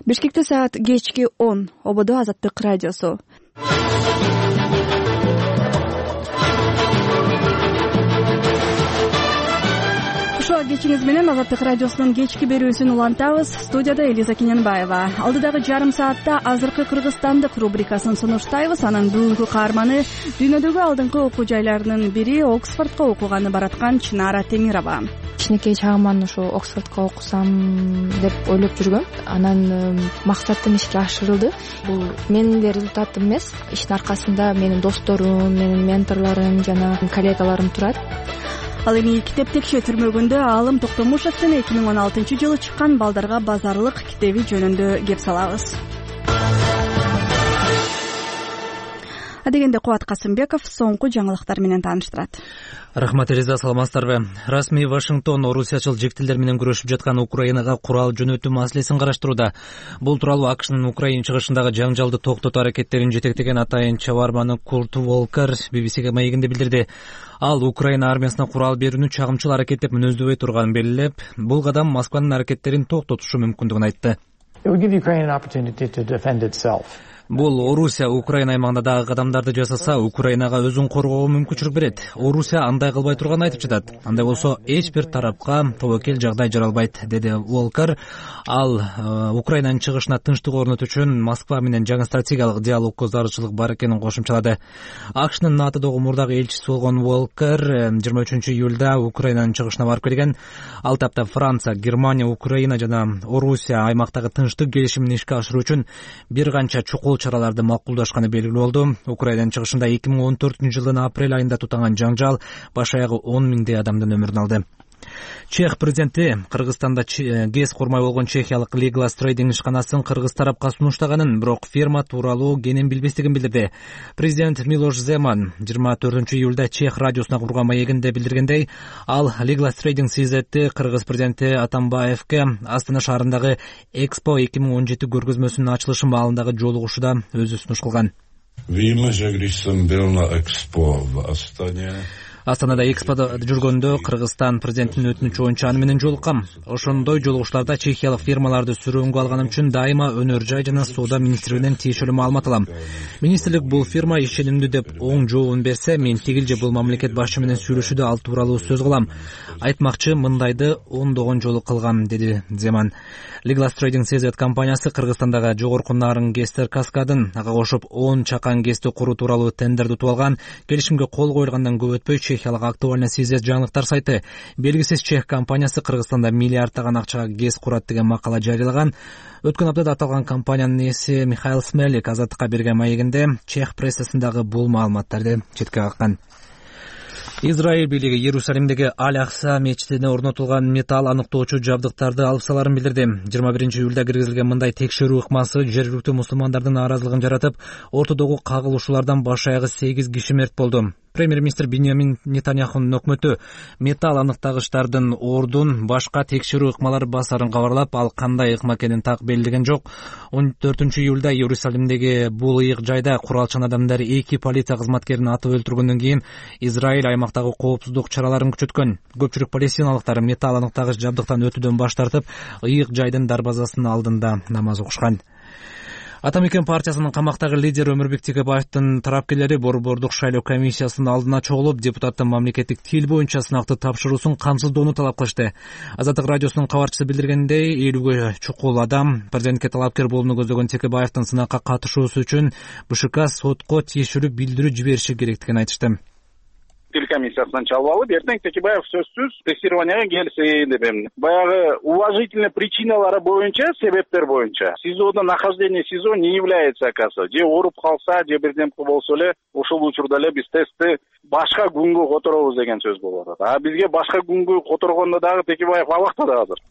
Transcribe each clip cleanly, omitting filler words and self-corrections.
Бишкекте саат кечки 10. Ободо Азаттык радиосу. Ушул кечиңиз менен Азаттык радиосунун кечки берүүсүн улантабыз. Студияда Элиза Кененбаева. Алдыдагы жарым саатта азыркы Кыргызстандык рубрикасын сунуштайбыз. Анын бүгүнкү каарманы дүйнөдөгү алдыңкы окуу жайларынын бири Оксфордко окуганы бараткан Чынара Темирова. Кичинекей чагыман ушу Оксфордко окусам деп ойлоп жүргөм. Анан максатым ишке ашырылды. Бул менин эле результатым эмес. Иштин аркасында менин досторум, менин менторлорум жана коллегаларым турат. Ал эми китеп текши түрмөгүндө Алым Токтомушевдин 2016-жылы чыккан Балдарга базарлык китеби жөнүндө кеп салабыз. Адегенде Кубат Касымбеков соңку жаңылыктар менен тааныштырат. Рахмат Элиза, саламатсыздарбы? Расмий Вашингтон орусиячыл жектилдер менен күрөшүп жаткан Украинага курал жөнөтүү маселесин караштырууда. Бул тууралуу АКШнын Украина чыгышындагы жаңжалды токтотуу аракеттерин жетектеген атайын чабарманы Курт Волкер BBC-ге маегинде билдирди. Ал Украина армиясына курал берүүнү чагымчыл аракет деп мүнөздөбөй турганын белгилеп, бул кадам Москванын аракеттерин токтотушу мүмкүндүгүн айтты. Бул Орусия Украина аймагында дагы кадамдарды жасаса, Украинага өзүн коргоого мүмкүнчүлүк берет. Орусия андай кылбай турганын айтып жатат. Андай болсо эч бир тарапка тобокел жагдай жаралбайт, деди Волкер. Ал Украинанын чыгышына тынчтык орнотуу үчүн Москва менен жаңы стратегиялык диалогко зарылчылык бар экенин кошумчалады. АКШнын НАТОдогу мурдагы элчиси болгон Волкер 23-июлда Украинанын чыгышына барып келген. Ал тапта Франция, Германия, Украина жана Орусия аймактагы тынчтык келишимин ишке ашыруу үчүн бир канча чукул чараларды макулдашканы белгилүү болду. Украинанын чыгышында 2014-жылдын апрель айында тутанган жаңжал баш аягы 10 миңдей адамдын өмүрүн алды. Чех президенти Кыргызстанда ГЭС курмай болгон чехиялык Legal Trading ишканасын кыргыз тарапка сунуштаганын, бирок фирма тууралуу кенен билбестигин билдирди. Президент Милош Земан 24-июлда Чех радиосуна курган маегинде билдиргендей, ал Legal Trading CZ'ти кыргыз президенти Атамбаевке Астана шаарындагы Экспо 2017 көргөзмөсүнүн ачылышы маалындагы жолугушууда өзү сунуш кылган. Астанада Эксподо жүргөндө Кыргызстан президентинин өтүнүчү боюнча аны менен жолуккам. Ошондой жолугуштарда чехиялык фирмаларды сүрөөнгө алганым үчүн дайыма өнөр жай жана соода министрлигинен тиешелүү маалымат алам. Министрлик бул фирма ишенимдүү деп оң жообун берсе, мен тигилже бул мамлекет башы менен сүйлөшүүдө ал тууралуу сөз кылам. Айтмакчы, мындайды ондогон жолу кылгам, деди Земан. Legal Trading CZ компаниясы Кыргызстандагы жогорку нарын ГЭСтер каскадын ага кошуп 10 чакан ГЭСти куруу тууралуу тендерди утуп алган. Келишимге кол коюлгандан көп өтпөй чехиялык актуальный CZ жаңылыктар сайты белгисиз чех компаниясы Кыргызстанда миллиарддаган акчага ГЭС курат деген макала жарыялаган. Өткөн аптада аталган компаниянын ээси Михаил Смелик Азаттыкка берген маегинде чех прессасындагы бул маалыматтарды четке каккан. Израиль бийлиги Иерусалимдеги Аль-Акса мечитине орнотулган металл аныктоочу жабдыктарды алып саларын билдирди. 21-июлда киргизилген мындай текшерүү ыкмасы жергиликтүү мусулмандардын нааразылыгын жаратып, ортодогу кагылышуулардан баш аягы 8 киши мерт болду. Премьер-министр Биньямин Нетаньяхунун өкмөтү металл аныктагычтардын ордун башка текшерүү ыкмалары басарын кабарлап, ал кандай ыкма экенин так белгилеген жок. 14-июлда Иерусалимдеги бул ыйык жайда куралчан адамдар 2 полиция кызматкерин атып өлтүргөндөн кийин Израиль аймактагы коопсуздук чараларын күчөткөн. Көпчүлүк палестиналыктар металл аныктагыч жабдыктан өтүүдөн баш тартып, ыйык жайдын дарбазасынын алдында намаз окушкан. Атамекен партиясынын камактагы лидери Өмүрбек Текебаевдин тарапкерлери борбордук шайлоо комиссиясынын алдына чогулуп, депутаттын мамлекеттик тил боюнча сынакты тапшыруусун камсыздоону талап кылышты. Азаттык радиосунун кабарчысы билдиргендей, 50ге чукул адам президентке талапкер болууну көздөгөн Текебаевдин сынакка катышуусу үчүн БШК сотко тиешелүү билдирүү жибериши керектигин айтышты. Тил комиссиясынан чалып алып, эртең Текебаев сөзсүз тестированияга келсин деп эми. Баягы уважительный причиналары боюнча, себептер боюнча СИЗОдо нахождение СИЗО не является оказа. Же ооруп калса, же бирдемке болсо эле ошол учурда эле биз тестти башка күнгө которобуз деген сөз болуп атат. А бизге башка күнгө которгондо дагы Текебаев абакта да азыр.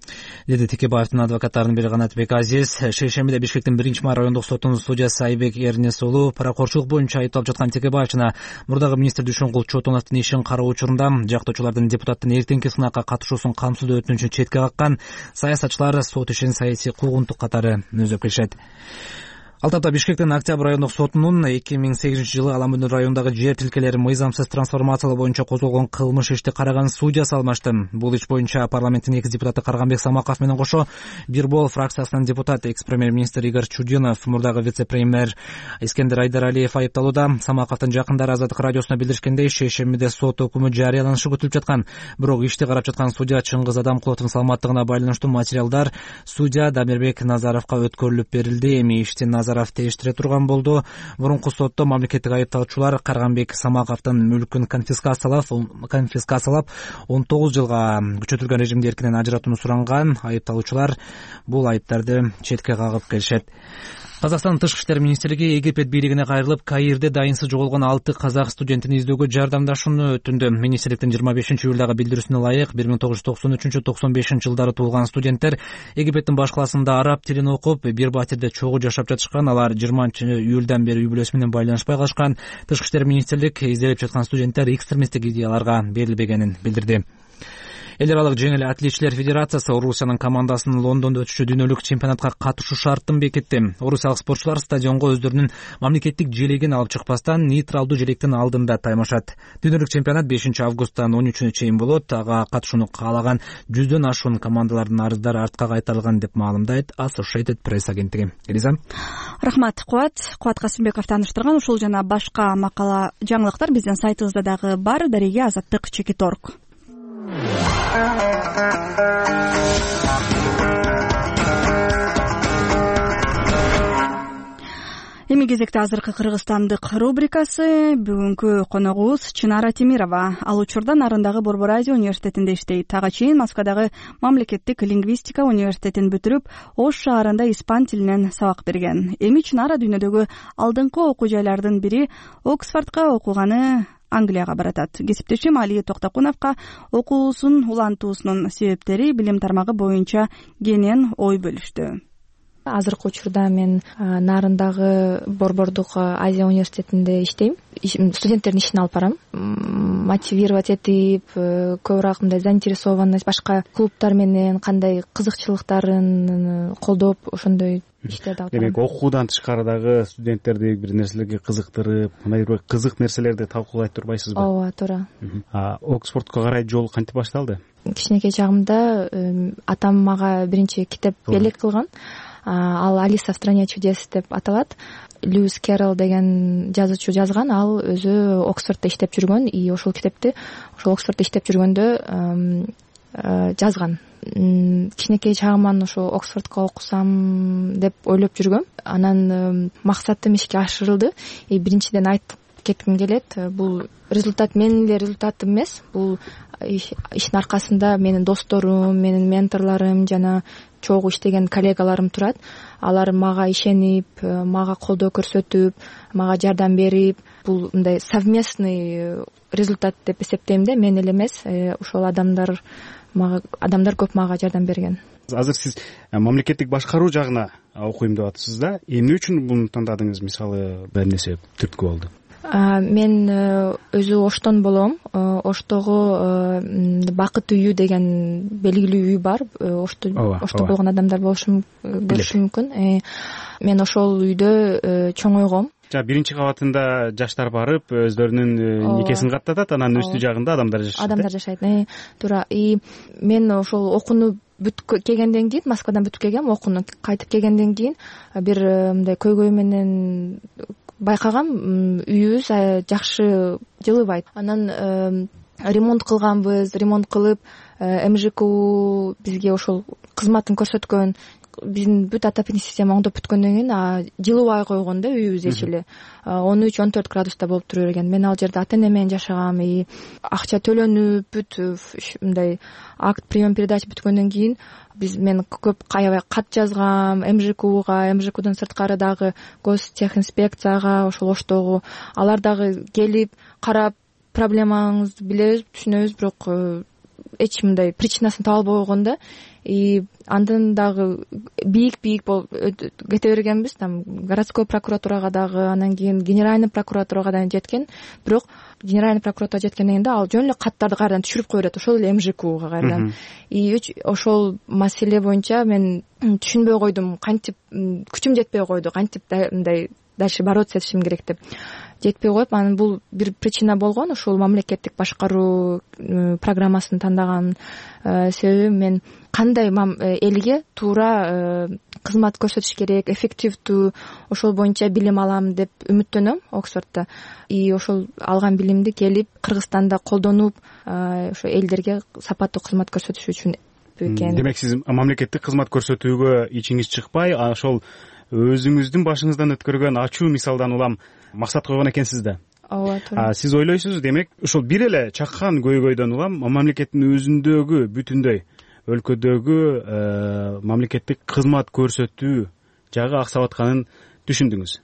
Деди Текебаевдин адвокаттарынын бири Канатбек Азиз. Шейшембиде Бишкектин 1-май райондук сотунун судьясы Айбек Эрнес уулу паракорчулук боюнча айыпталып жаткан Текебаев жана мурдагы министр Дүйшөнгул Чотоновдун ишин кароо учурунда жактоочулардын депутаттын эртеңки сынакка катышуусун камсыздоо өтүнүчүн четке каккан. Саясатчылар сот ишин саясий куугунтук катары өзөп келишет. Ал тапта Бишкектин Октябрь райондук сотунун 2008-жылы Алам Өнөр районундагы жер тилкелерин мыйзамсыз трансформациялоо боюнча козголгон кылмыш ишти караган судья салмашты. Бул иш боюнча парламенттин 2 депутаты Карганбек Самаков менен кошо Бирбол фракциясынын депутаты экс-премьер-министр Игорь Чудинов, мурдагы вице-премьер Искендер Айдаралиев айыпталууда. Самаковдун жакындары Азаттык радиосуна билдиришкендей, шейшембиде сот өкүмү жарыяланышы күтүлүп жаткан. Бирок ишти карап жаткан судья Чыңгыз Адамкуловдун саламаттыгына байланыштуу материалдар судья Дамирбек Назаровго өткөрүлүп берилди. Эми ишти Назаров тештире турган болду. Мурунку сотто мамлекеттик айыпталуучулар Карганбек Самаковдун мүлкүн конфискациялап 19 жылга күчөтүлгөн режимде эркинен ажыратууну суранган. Айыпталуучулар бул айыптарды четке кагып келишет. Казакстандын Тышкы иштер министрлиги Египет бийлигине кайрылып, Каирде дайынсыз жоголгон 6 казак студентин издөөгө жардамдашууну өтүндү. Министрликтин 25-июлдагы билдирүүсүнө ылайык 1993-95 жылдары туулган студенттер Египеттин баш калаасында араб тилин окуп, бир батирде чогуу жашап жатышкан. Алар 20-июлдан бери үй бүлөсү менен байланышпай калышкан. Тышкы иштер министрлик изделип жаткан студенттер экстремисттик идеяларга берилбегенин билдирди. Эл аралык жеңил атлетчилер федерациясы Орусиянын командасынын Лондондо өтүшчү дүйнөлүк чемпионатка катышуу шартын бекитти. Орусиялык спортчулар стадионго өздөрүнүн мамлекеттик желегин алып чыкпастан нейтралдуу желектин алдында таймашат. Дүйнөлүк чемпионат 5-августтан 13-үнө чейин болот. Ага катышууну каалаган 100дөн ашуун командалардын арыздары артка кайтарылган деп маалымдайт Associated Press агенттиги. Элиза. Рахмат, Кубат Касымбеков тааныштырган. Ушул жана башка макала жаңылыктар биздин сайтыбызда дагы бар. Дареге Азаттык.org. Эми кезекте азыркы кыргызстандык рубрикасы. Бүгүнкү коногубуз Чынара Темирова. Ал учурда Нарындагы Борбор Азия университетинде иштейт. Ага чейин Москвадагы мамлекеттик лингвистика университетин бүтүрүп, Ош шаарында испан тилинен сабак берген. Эми Чынара дүйнөдөгү алдыңкы окуу жайлардын бири Оксфордко окуганы Англияга баратат. Кесиптешим Алия Токтокуновго окуусун улантуусунун себептери, билим тармагы боюнча кенен ой бөлүштү. Азыркы учурда мен Нарындагы Борбордук Азия университетинде иштейм. Студенттердин ишин алып барам. Мотивировать этип, көбүрөөк мындай заинтересованность, башка клубтар менен кандай кызыкчылыктарын колдоп, ошондой иштерди алып барам. Демек, окуудан тышкары дагы студенттерди бир нерселерге кызыктырып, мындай бир кызык нерселерди талкуулай турбайсызбы? Ооба, туура. Оксфордко карай жол кантип башталды? Кичинекей чагымда атам мага биринчи китеп белек кылган. Ал Алиса в стране чудес деп аталат. Льюис Керрол деген жазуучу жазган. Ал өзү Оксфордто иштеп жүргөн, и ошол китепти ошол Оксфордто иштеп жүргөндө жазган. Кичинекей чагыман ошо Оксфордко окусам деп ойлоп жүргөм. Анан максатым ишке ашырылды. Биринчиден айтып кетким келет, бул результат менин эле результатым эмес. Бул иштин аркасында менин досторум, менин менторлорум жана чогуу иштеген коллегаларым турат. Алар мага ишенип, мага колдоо көрсөтүп, мага жардам берип, бул мындай совместный результат деп эсептейм да, мен эле эмес. Ошол адамдар көп мага жардам берген. Азыр сиз мамлекеттик башкаруу жагына окуйм деп атасыз да. Эмне үчүн буну тандадыңыз? Мисалы, эмне себеп түрткү болду? Мен өзү Оштон болом. Оштогу Бакыт үйү деген белгилүү үй бар. Ошто болгон адамдар көрүшү мүмкүн. Мен ошол үйдө чоңойгом. Биринчи кабатында жаштар барып, өздөрүнүн никесин каттатат, анан үстү жагында адамдар жашайт. Адамдар жашайт. Туура. Мен ошол окууну бүтүп келгенден кийин, Москвадан бүтүп келгем, окууну кайтып келгенден кийин бир мындай көйгөй менен байкагам, үйүбүз жакшы жылыбайт. Анан ремонт кылганбыз, ремонт кылып, МЖКУ бизге ошол кызматын көрсөткөн, биздин бүт отопительный система оңдоп бүткөндөн кийин жылыбай койгон да үйүбүз эч эле. 13-14 градуста болуп тура берген. Мен ал жерде ата-эне менен жашагам, акча төлөнүп, бүт мындай акт прием передач бүткөндөн кийин мен көп аябай кат жазгам МЖКУга, МЖКУдан сырткары дагы гостехинспекцияга, ошол Оштогу. Алар дагы келип карап, проблемаңызды билебиз, түшүнөбүз, бирок эч мындай причинасын таба албай койгон да. И андан дагы бийик болуп кете бергенбиз. Там городской прокуратурага дагы, анан кийин генеральный прокуратурага да жеткен. Бирок генеральный прокуратурага жеткенден кийин ал жөн эле каттарды кайрадан түшүрүп кое берет, ошол эле МЖКга кайрадан. И ошол маселе боюнча мен түшүнбөй койдум, кантип күчүм жетпей койду, кантип мындай дальше бороться этишим керек деп. Жетпей коюп, анан бул бир причина болгон. Ушул мамлекеттик башкаруу программасын тандаган себеби мен кандай элге туура кызмат көрсөтүш керек, эффективдүү, ошол боюнча билим алам деп үмүттөнөм Оксфордто. И ошол алган билимди келип Кыргызстанда колдонуп, ошо элдерге сапаттуу кызмат көрсөтүш үчүн экен. Демек сиз мамлекеттик кызмат көрсөтүүгө ичиңиз чыкпай, ошол өзүңүздүн башыңыздан өткөргөн ачуу мисалдан улам максат койгон экенсиз да. Ооба, туура. Сиз ойлойсуз, демек ошол бир эле чаккан көйгөйдөн улам мамлекеттин өзүндөгү бүтүндөй өлкөдөгү мамлекеттик кызмат көрсөтүү жагы аксап атканын түшүндүңүз.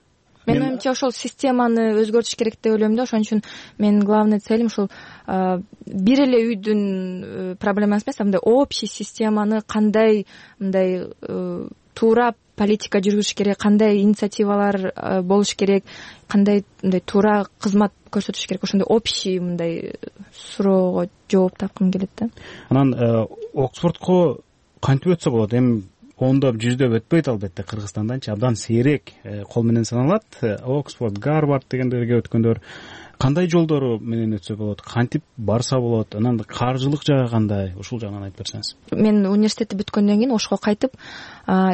Менин оюмча ошол системаны өзгөртүш керек деп ойлойм да. Ошон үчүн менин главный целим ошол бир эле үйдүн проблемасы эмес, мындай общий системаны кандай мындай туура политика жүргүзүш керек, кандай инициативалар болуш керек, кандай мындай туура кызмат көрсөтүш керек, ошондой общий мындай суроого жооп тапкым келет да. Анан Оксфордко кантип өтсө болот? Эми ондоп, жүздөп өтпөйт албетте, Кыргызстанданчы абдан сейрек кол менен саналат. Оксфорд, Гарвард дегендерге өткөндөр кандай жолдору менен өтсө болот, кантип барса болот, анан каржылык жагы кандай, ушул жагынан айтып берсеңиз. Мен университетти бүткөндөн кийин Ошко кайтып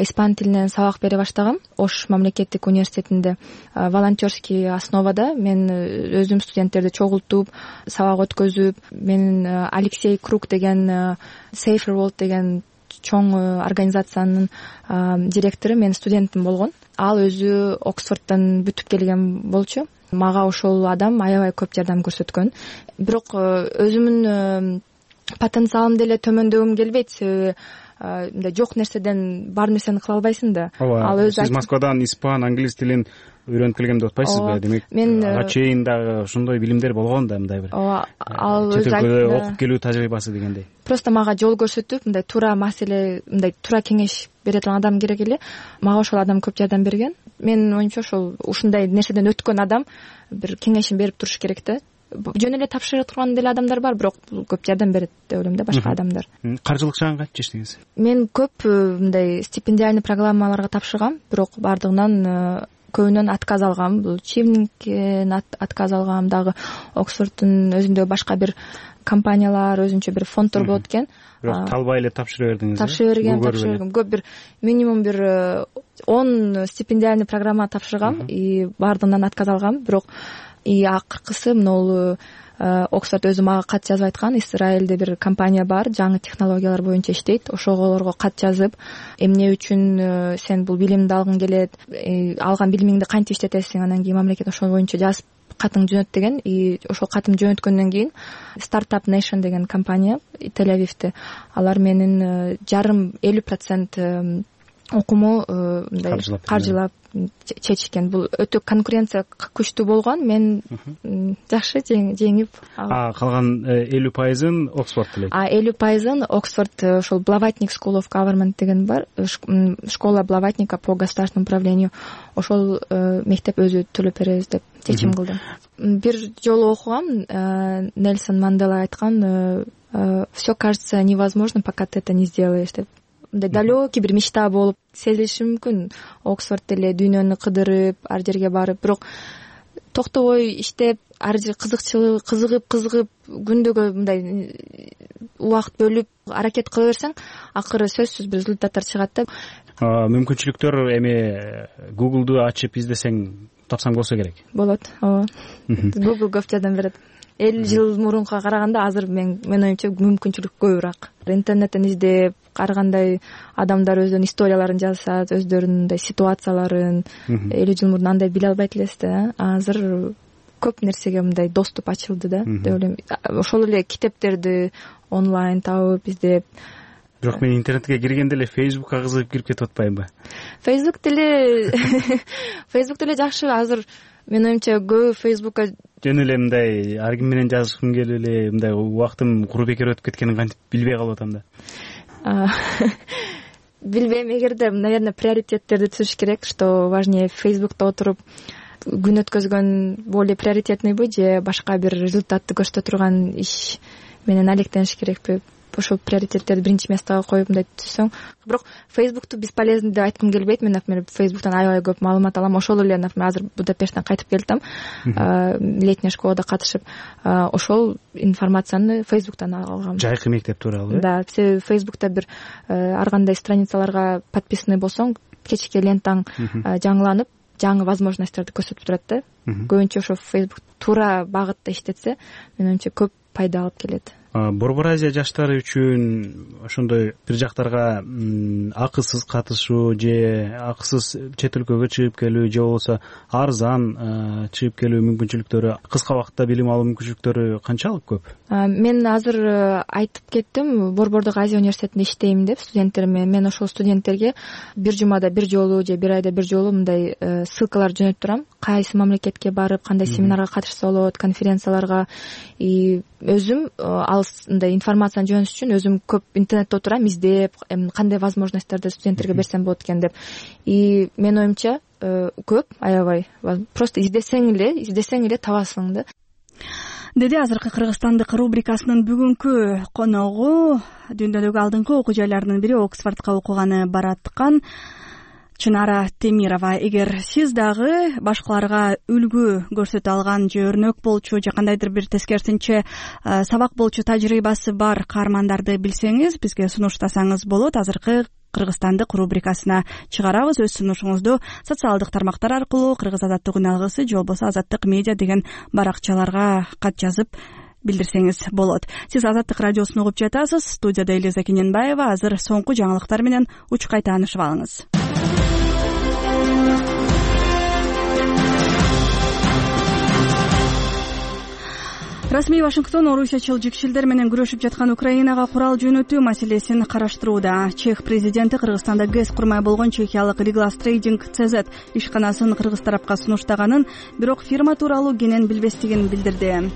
испан тилинен сабак бере баштагам. Ош мамлекеттик университетинде волонтерский основада мен өзүм студенттерди чогултуп, сабак өткөзүп, менин Алексей Круг деген Safer World деген чоң организациянын директору менин студентим болгон. Ал өзү Оксфордтон бүтүп келген болчу. Мага ошол адам аябай көп жардам көрсөткөн. Бирок өзүмдүн потенциалымды эле төмөндөгүм келбейт, себеби мындай жок нерседен бар нерсени кыла албайсың да. Ал өзү сиз Москвадан испан, англис тилин үйрөнүп келгем деп атпайсызбы? Демек ага чейин дагы ошондой билимдер болгон да, мындай бир. Ал өзү окуп келүү тажрыйбасы дегендей. Просто мага жол көрсөтүп, мындай туура маселе, мындай туура кеңеш бере турган адам керек эле. Мага ошол адам көп жардам берген. Менин оюмча ошол ушундай нерседен өткөн адам бир кеңешин берип туруш керек да. Жөн эле тапшыра турган деле адамдар бар, бирок көп жардам берет деп ойлойм да, башка адамдар. Каржылык жагын кантип чечтиңиз? Мен көп мындай стипендиальный программаларга тапшыргам, бирок бардыгынан көбүнөн отказ алгам. Бул Чивниктен отказ алгам, дагы Оксфорддун өзүндө башка бир компаниялар, өзүнчө бир фонддор болот экен. Бирок талбай эле тапшыра бердиңиз. Тапшыра бергем. Көп бир минимум бир 10 стипендиальный программа тапшыргам и бардыгынан отказ алгам. Бирок акыркысы могул Оксфорд өзү мага кат жазып айткан. Израилде бир компания бар, жаңы технологиялар боюнча иштейт. Ошолорго кат жазып, эмне үчүн сен бул билимди алгың келет, алган билимиңди кантип иштетесиң, анан кийин мамлекет ошол боюнча жазып катың жөнөт деген. И ошол катым жөнөткөндөн кийин Startup Nation деген компания Тель-Авивде, алар менин жарым 50% окуму мындай каржылап чечишкен. Бул өтө конкуренция күчтүү болгон. Мен жакшы жеңип. Калган 50%-ын Оксфорд элек. 50%-ын Оксфорд, ошол Blavatnik School of Government деген бар, школа Блаватника по государственному управлению. Ошол мектеп өзү төлөп беребиз деп чечим кылды. Бир жолу окугам, Нельсон Мандела айткан, все кажется невозможным, пока ты это не сделаешь деп. Мындай далекий бир мечта болуп сезилиши мүмкүн. Оксфорд эле дүйнөнү кыдырып, ар жерге барып, бирок токтобой иштеп, ар жер кызыгып, күндөгө мындай убакыт бөлүп аракет кыла берсең, акыры сөзсүз бир результаттар чыгат да. Мүмкүнчүлүктөр эми Google'ду ачып издесең, тапсаң болсо керек. Болот, ооба. Google көп жардам берет. 50 жыл мурунга караганда азыр мен оюмча мүмкүнчүлүк көбүрөөк. Интернеттен издеп, ар кандай адамдар өздөрүнүн историяларын жазышат, өздөрүнүн ситуацияларын 50 жыл мурун андай биле албайт элес да. Азыр көп нерсеге мындай доступ ачылды да, деп ойлойм. Ошол эле китептерди онлайн табып, издеп. Бирок мен интернетке киргенде эле Facebookка кызыгып кирип кетип атпаймынбы? Facebook деле жакшы. Азыр мен оюмча көбү Facebookка жөн эле мындай ар ким менен жазышкым келип эле мындай убактым куру бекер өтүп кеткенин кантип билбей калып атам да. Билбейм, эгерде, наверное, приоритеттерди түзүш керек, что важнее Facebook'та отуруп күн өткөзгөн более приоритетныйбы же башка бир результатты көрсөтө турган иш менен алектениш керекпи? Ошол приоритеттерди биринчи местага коюп мындай түзсөң. Бирок Facebook'ту бесполезный деп айткым келбейт. Мен, например, Facebook'тан аябай көп маалымат алам. Ошол эле, например, азыр Будапешттен кайтып келдим, летняя школада катышып, ошол информацияны Facebook'тан алгам. Жайкы мектеп тууралуу. Да, Facebook'та бир ар кандай страницаларга подписанный болсоң, кечки лентаң жаңыланып, жаңы возможностьтарды көрсөтүп турат да. Көбүнчө ошо Facebook туура багытта иштетсе, менимче көп пайда алып келет. Борбор Азия жаштары үчүн ошондой бир жактарга акысыз катышуу же акысыз чет өлкөгө чыгып келүү же болбосо арзан чыгып келүү мүмкүнчүлүктөрү, кыска убакытта билим алуу мүмкүнчүлүктөрү канчалык көп? Мен азыр айтып кеттим, Борбордук Азия университетинде иштейм деп студенттериме. Мен ошол студенттерге бир жумада бир жолу же бир айда бир жолу мындай ссылкалар жөнөтүп турам. Кайсы мамлекетке барып, кандай семинарга катышса болот, конференцияларга. И өзүм мындай информацияны жөнөтүш үчүн өзүм көп интернетте отурам, издеп, кандай возможностьтарды студенттерге берсем болот экен деп. И менин оюмча көп, аябай. Просто издесең эле табасың да. Деди азыркы Кыргызстандык рубрикасынын бүгүнкү коногу дүйнөдөгү алдыңкы окуу жайларынын бири Оксфордко окуганы бараткан Чынара Темирова. Эгер сиз дагы башкаларга үлгү көрсөтө алган же өрнөк болчу же кандайдыр бир тескерисинче сабак болчу тажрыйбасы бар каармандарды билсеңиз, бизге сунуштасаңыз болот. Азыркы Кыргызстандык рубрикасына чыгарабыз. Өз сунушуңузду социалдык тармактар аркылуу Кыргыз Азаттык үн алгысы же болбосо Азаттык медиа деген баракчаларга кат жазып билдирсеңиз болот. Сиз Азаттык радиосун угуп жатасыз. Студияда Элиза Кененбаева. Азыр соңку жаңылыктар менен учкай таанышып алыңыз. Расмий Вашингтон орусиячыл жикшилдер менен күрөшүп жаткан Украинага курал жөнөтүү маселесин караштырууда. Чех президенти Кыргызстанда ГЭС курмай болгон чехиялык Ригlas Trading CZ ишканасын кыргыз тарапка сунуштаганын, бирок фирма тууралуу кенен билбестигин билдирди.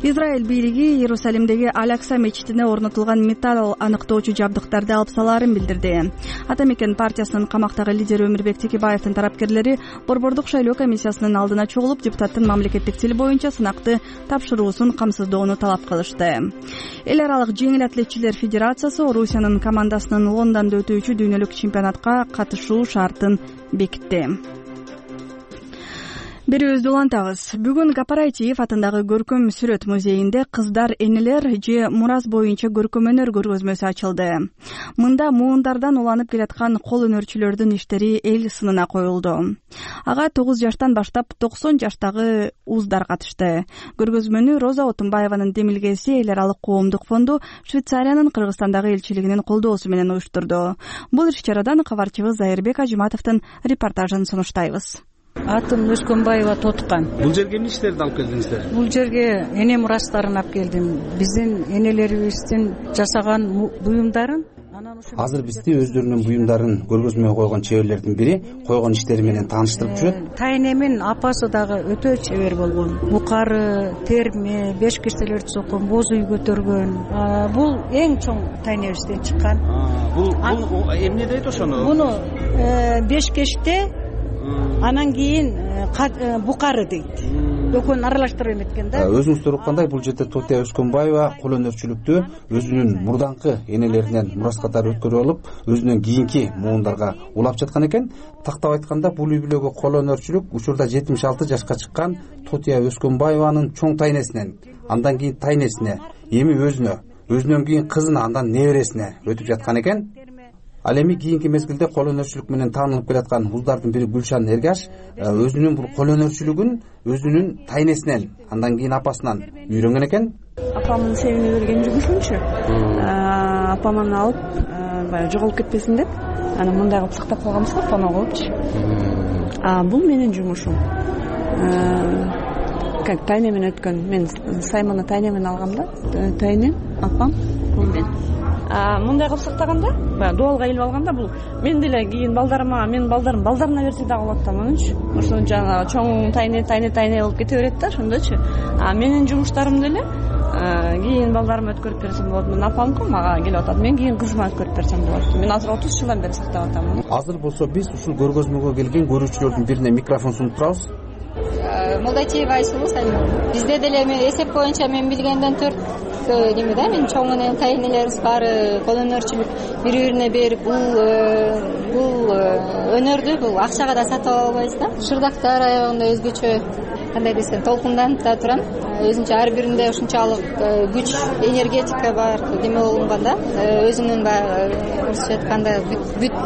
Израиль бийлиги Иерусалимдеги Аль-Акса мечитине орнотулган металл аныктоочу жабдыктарды алып салаарын билдирди. Ата мекен партиясынын камактагы лидери Өмүрбек Текебаевдин тарапкерлери Борбордук шайлоо комиссиясынын алдына чогулуп, депутаттын мамлекеттик тил боюнча сынакты тапшыруусун камсыздоону талап кылышты. Эл аралык жеңил атлетчилер федерациясы Орусиянын командасынын Лондондо өтүүчү дүйнөлүк чемпионатка катышуу шартын бекитти. Берүүбүздү улантабыз. Бүгүн Гапарайтиев атындагы көркөм сүрөт музейинде кыздар энелер же мурас боюнча көркөм өнөр көргөзмөсү ачылды. Мында муундардан уланып келаткан кол өнөрчүлөрдүн иштери эл сынына коюлду. Ага 9 жаштан баштап 90 жаштагы уздар катышты. Көргөзмөнү Роза Отунбаеванын демилгеси Эл аралык коомдук фонду Швейцариянын Кыргызстандагы элчилигинин колдоосу менен уюштурду. Бул иш-чарадан кабарчыбыз Зайырбек Ажыматовдун репортажын сунуштайбыз. Атым Өскөнбаева Тоткан. Бул жерге эмне иштерди алып келдиңиздер? Бул жерге эне мурастарын алып келдим. Биздин энелерибиздин жасаган буюмдарын. Азыр бизди өздөрүнүн буюмдарын көргөзмөгө койгон чеберлердин бири койгон иштери менен тааныштырып жүрөт. Тайнемин апасы дагы өтө чебер болгон. Букары, терме, беш кирселер соккон, боз үй көтөргөн. Бул эң чоң тайнебизден чыккан. Бул эмне дейт ошону? Буну бешкеште, анан кийин букары дейт. Экөөнүн аралаштырып эметкен да. Өзүңүздөр уккандай бул жерде Тотия Өскөнбаева кол өнөрчүлүктү өзүнүн мурдаңкы энелеринен мурас катары өткөрүп алып, өзүнүн кийинки муундарга улап жаткан экен. Тактап айтканда, бул үй бүлөгө кол өнөрчүлүк учурда 76 жашка чыккан Тотия Өскөнбаеванын чоң тайнесинен, андан кийин тайнесине, эми өзүнөн кийин кызына, андан небересине өтүп жаткан экен. Ал эми кийинки мезгилде кол өнөрчүлүк менен таанылып келаткан уздардын бири Гүлшан Эргаш өзүнүн бул кол өнөрчүлүгүн өзүнүн тайнесинен, андан кийин апасынан үйрөнгөн экен. Апамдын севине берген жумушунчу. Апаман алып, баягы жоголуп кетпесин деп, анан мындай кылып сактап калганбыз да, фоно кылыпчы. Бул менин жумушум. Как тайнемен өткөн. Мен сайманы тайнемен алгам да. Тайнем, апам, бул мен. мындай кылып сактаганда баягы дубалга илип алганда бул мен деле кийин балдарыма, менин балдарым балдарына берсе дагы болот да ананчы. Ошо жанагы чоң тайне болуп кете берет да ошондочу. Менин жумуштарым деле кийин балдарыма өткөрүп берсем болот. Менин апамка мага келип атат. Мен кийин кызыма өткөрүп берсем болот. Мен азыр 30 жылдан бери сактап атам. Азыр болсо биз ушул көргөзмөгө келген көрүүчүлөрдүн бирине микрофон сунуп турабыз. Молдачиева Айсулуу. Бизде деле эсеп боюнча мен билгенден 4 неме да, мен чоң энем, тайнелерибиз баары кол өнөрчүлүк бири-бирине берип, бул өнөрдү бул акчага да сатып албайбыз да. Шырдактар аягында өзгөчө кандай десем толкунданып да турам. Өзүнчө ар биринде ушунчалык күч, энергетика бар деме болгон да. Өзүнүн баягы орусча айтканда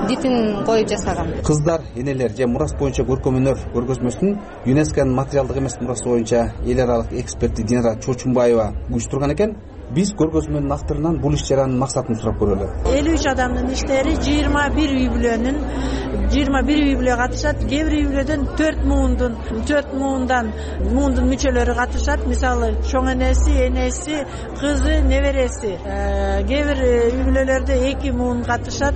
битин коюп жасаган. Кыздар, энелер же мурас боюнча көркөм өнөр көргөзмөсүн ЮНЕСКОнун материалдык эмес мурасы боюнча эл аралык эксперти Динара Чочумбаева уюштурган экен. Биз көргөзмөнүн авторунан бул иш чаранын максатын сурап көрөлү. 53 адамдын иштери 21 үй бүлө катышат. Кээ бир үй бүлөдөн 4 муундун мүчөлөрү катышат. Мисалы чоң энеси, кызы, небереси. Кээ бир үй бүлөлөрдө 2 муун катышат.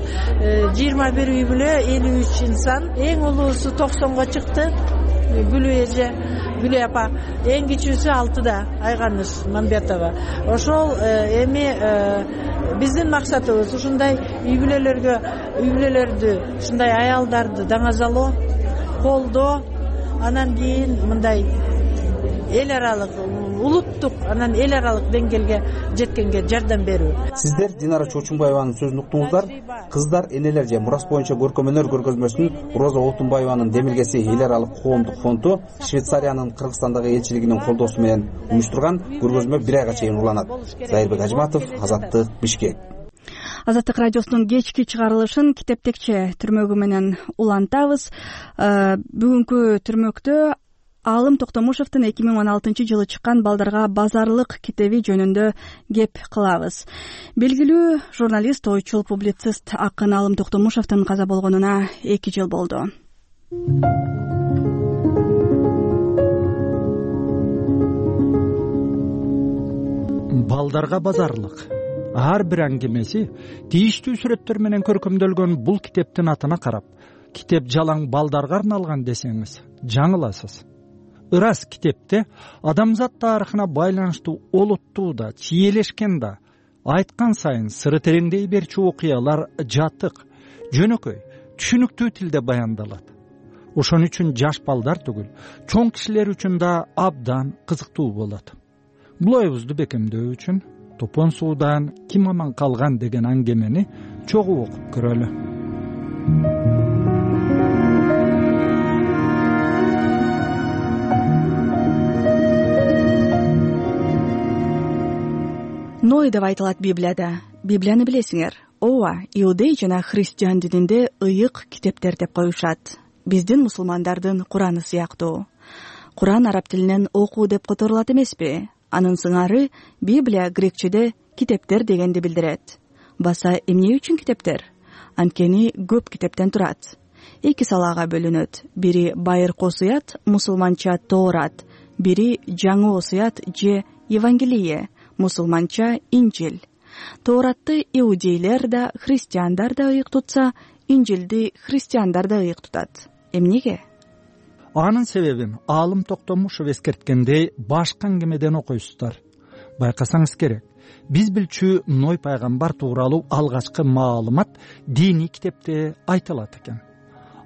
21 үй бүлө 53 инсан. Эң улуусу 90го чыкты. Гүлү апа, эң кичүүсү 6да, Айганыш Мамбетова. Ошол эми биздин максатыбыз ушундай үй бүлөлөрдү, ушундай аялдарды даңазалоо, колдоо, анан кийин мындай эл аралык, улуттук, анан эл аралык деңгээлге жеткенге жардам берүү. Сиздер Динара Чочумбаеванын сөзүн уктуңуздар. Кыздар, энелер же мурас боюнча көркөм өнөр көргөзмөсүн Роза Отунбаеванын Демилгеси эл аралык коомдук фонду Швейцариянын Кыргызстандагы элчилигинин колдоосу менен уюштурган көргөзмө 1 айга чейин уланат. Зайырбек Ажматов, Азаттык, Бишкек. Азаттык радиосунун кечки чыгарылышын Китептекче түрмөгү менен улантабыз. Бүгүнкү түрмөктө Алым Токтомушевдин 2016-жылы чыккан Балдарга базарлык китеби жөнүндө кеп кылабыз. Белгилүү журналист, ойчул, публицист акын Алым Токтомушевдин каза болгонуна 2 жыл болду. Балдарга базарлык ар бир аңгемеси тийиштүү сүрөттөр менен көркөмдөлгөн бул китептин атына карап, китеп жалаң балдарга арналган десеңиз жаңыласыз. Ырас китепте адамзат тарыхына байланыштуу олуттуу да, чиелешкен да, айткан сайын сыры тереңдей берчү окуялар жатык, жөнөкөй, түшүнүктүү тилде баяндалат. Ошон үчүн жаш балдар түгүл, чоң кишилер үчүн да абдан кызыктуу болот. Бул оюбузду бекемдөө үчүн Топон суудан ким аман калган деген аңгемени чогуу окуп көрөлү. Ной деп айтылат Библияда. Библияны билесиңер. Ооба, иудей жана христиан дининде ыйык китептер деп коюшат. Биздин мусулмандардын Кураны сыяктуу. Куран араб тилинен окуу деп которулат эмеспи? Анын сыңары Библия грекчеде китептер дегенди билдирет. Баса эмне үчүн китептер? Анткени көп китептен турат. 2 салага бөлүнөт. Бири байыркы осуят, мусулманча Тоорат, бири жаңы осуят же Евангелие, мусулманча Инжил. Тооратты иудейлер да, христиандар да ыйык тутса, Инжилди христиандар да ыйык тутат. Эмнеге? Анын себебин Алым Токтомушев эскерткендей башка аңгемеден окуйсуздар. Байкасаңыз керек, биз билчү Ной пайгамбар тууралуу алгачкы маалымат диний китепте айтылат экен.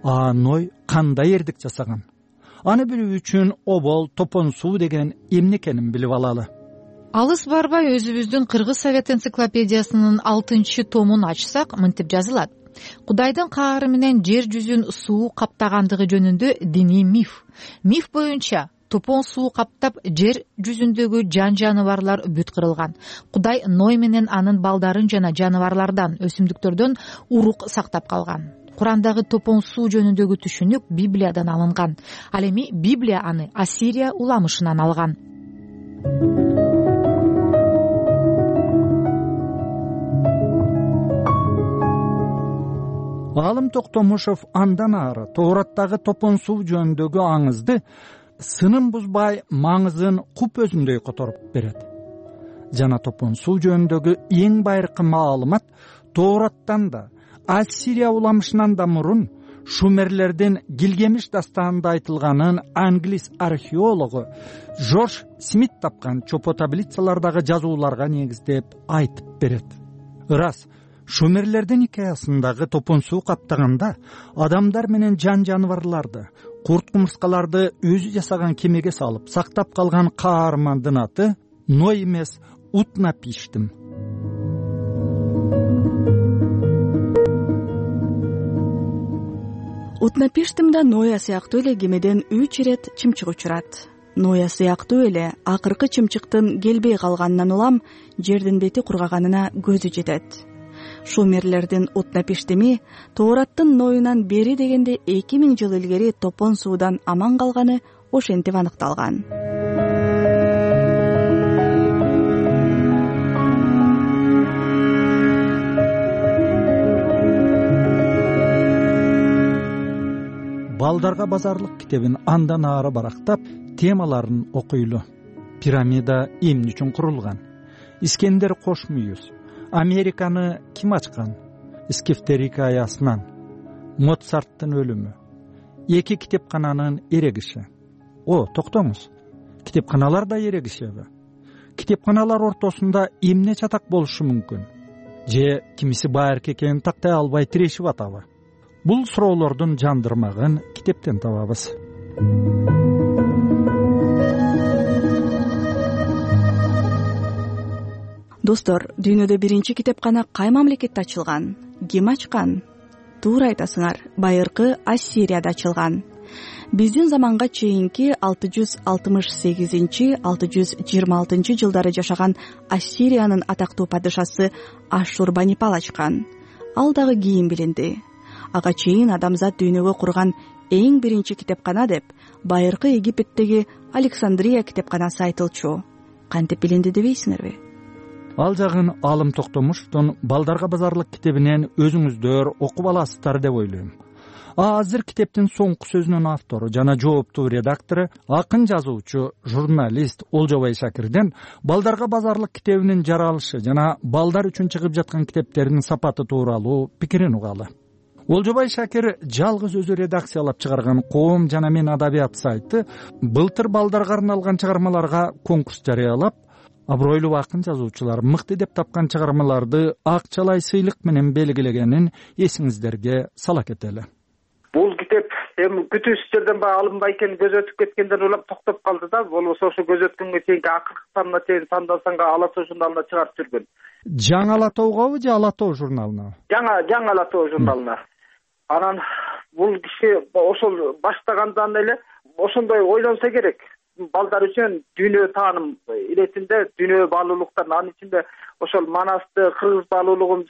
Ной кандай эрдик жасаган? Аны билүү үчүн обол, топон суу деген эмне экенин билип алалы. Алыс барбай өзүбүздүн Кыргыз Совет энциклопедиясынын 6-томун ачсак, мынтип жазылат. Кудайдын каары менен жер жүзүн суу каптагандыгы жөнүндө диний миф. Миф боюнча топон суу каптап жер жүзүндөгү жан-жаныбарлар бүт кырылган. Кудай Ной менен анын балдарын жана жаныбарлардан, өсүмдүктөрдөн урук сактап калган. Курандагы топон суу жөнүндөгү түшүнүк Библиядан алынган. Ал эми Библия аны Ассирия уламышынан алган. Алым Токтомушев андан ары Тоораттагы топон суу жөнүндөгү аңызды сынын бузбай маңызын куп өзүндөй которуп берет. жана топон суу жөнүндөгү эң байыркы маалымат Тоораттан да, Ассирия уламышынан да мурун Шумерлердин Гилгемиш дастанында айтылганын англис археологу Жорж Смит тапкан чопо таблицалардагы жазууларга негиздеп айтып берет. Ырас, Шумерлердин хикаясындагы топон суу каптаганда адамдар менен жан жаныбарларды, курт кумурскаларды өзү жасаган кемеге салып сактап калган каармандын аты Ной эмес, Утнапиштим. Утнапиштимда Ноя сыяктуу эле кемеден 3 ирет чымчык учурат. Ноя сыяктуу эле акыркы чымчыктын келбей калганынан улам жердин бети кургаганына көзү жетет. Шумерлердин Утнапиштими Тоораттын Ноюнан бери дегенде 2000 жыл илгери топон суудан аман калганы ошентип аныкталган. Балдарга базарлык китебин андан ары барактап, темаларын окуйлу. Пирамида эмне үчүн курулган? Искендер Кошмүйүз. Американы ким ачкан? Скифтер хикаясынан. Моцарттын өлүмү. Эки китепкананын эрегиши. Токтоңуз. Китепканалар да эрегишеби? Китепканалар ортосунда эмне чатак болушу мүмкүн? Же кимиси байыркы экенин тактай албай тирешип атабы? Бул суроолордун жандырмагын китептен табабыз. Достор, дүйнөдө биринчи китепкана кай мамлекетте ачылган? Ким ачкан? Туура айтасыңар, байыркы Ассирияда ачылган. Биздин заманга чейинки 668-626 жылдары жашаган Ассириянын атактуу падышасы Ашшурбанипал ачкан. Ал дагы кийин билинди. Ага чейин адамзат дүйнөгө курган эң биринчи китепкана деп байыркы Египеттеги Александрия китепканасы айтылчу. Кантип билинди дебейсиңерби? Ал жагын Алым Токтомушевдун Балдарга базарлык китебинен өзүңүздөр окуп аласыздар деп ойлойм. Азыр китептин соңку сөзүнүн автору жана жооптуу редактору, акын жазуучу, журналист Олжобай Шакирден Балдарга базарлык китебинин жаралышы жана балдар үчүн чыгып жаткан китептердин сапаты тууралуу пикирин угалы. Олжобай Шакир жалгыз өзү редакциялап чыгарган Коом жана мен адабият сайты былтыр балдарга арналган чыгармаларга конкурс жарыялап, абройлуу акын жазуучулар мыкты деп тапкан чыгармаларды акчалай сыйлык менен белгилегенин эсиңиздерге сала кетели. Бул китеп эми күтүүсүз жерден баягы алынбай экени көз өтүп кеткенден улам токтоп калды да, болбосо ошо көз өткөнгө чейинки акыркы санына чейин Санда-Санга Ала тоо журналына чыгарып жүргөн. Жаңы Ала тоогабы же Ала тоо журналына? Жаңы Ала тоо журналына. Анан бул киши ошол баштагандан эле ошондой ойлонсо керек. Балдар үчүн дүйнө тааным иретинде дүйнө баалуулуктарын, анын ичинде ошол Манасты, кыргыз баалуулугун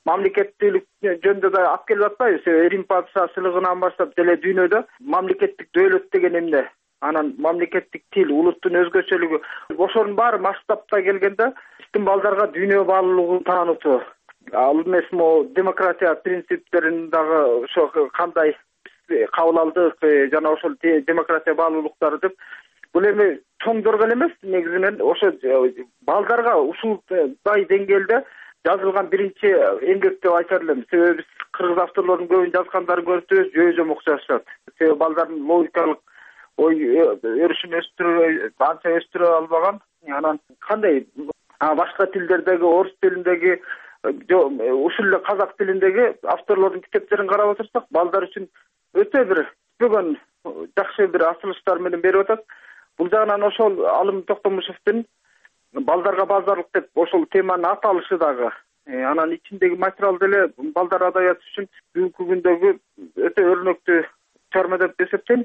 мамлекеттүүлүк жөнүндө да алып келип атпайбы? Рим падышасылыгынан баштап деле дүйнөдө мамлекеттик дөөлөт деген эмне? Анан мамлекеттик тил, улуттун өзгөчөлүгү. Ошонун баары масштабта келгенде биздин балдарга дүйнө баалуулугун таанытуу. Ал эмес демократия принциптерин дагы ошо кандай кабыл алдык жана ошол демократия баалуулуктары деп бул эми чоңдорго эле эмес, негизинен ошо балдарга ушундай деңгээлде жазылган биринчи эмгек деп айтар элем. Себеби биз кыргыз авторлордун көбүн жазгандарын көрүп жүрөбүз, жөө-жөмөк жазышат. Себеби балдардын логикалык ой өрүшүн анча өстүрө албаган. Анан кандай башка тилдердеги, орус тилиндеги, ушул эле казак тилиндеги авторлордун китептерин карап отурсак, балдар үчүн өтө бир бүгүн жакшы бир асылыштар менен берип атат. Бул жагынан ошол Алым Токтомушевдин Балдарга базарлык деп ошол теманын аталышы дагы, анан ичиндеги материал деле балдар адабияты үчүн бүгүнкү күндөгү өтө өрнөктүү чыгарма деп эсептейм,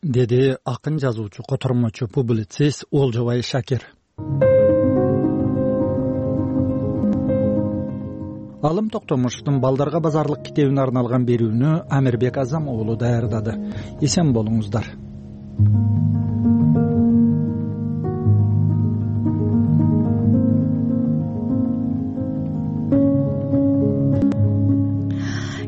деди акын жазуучу, котормочу, публицист Олжобай Шакир. Алым Токтомушевдун Балдарга базарлык китебине арналган берүүнү Амирбек Азам уулу даярдады. Эсен болуңуздар.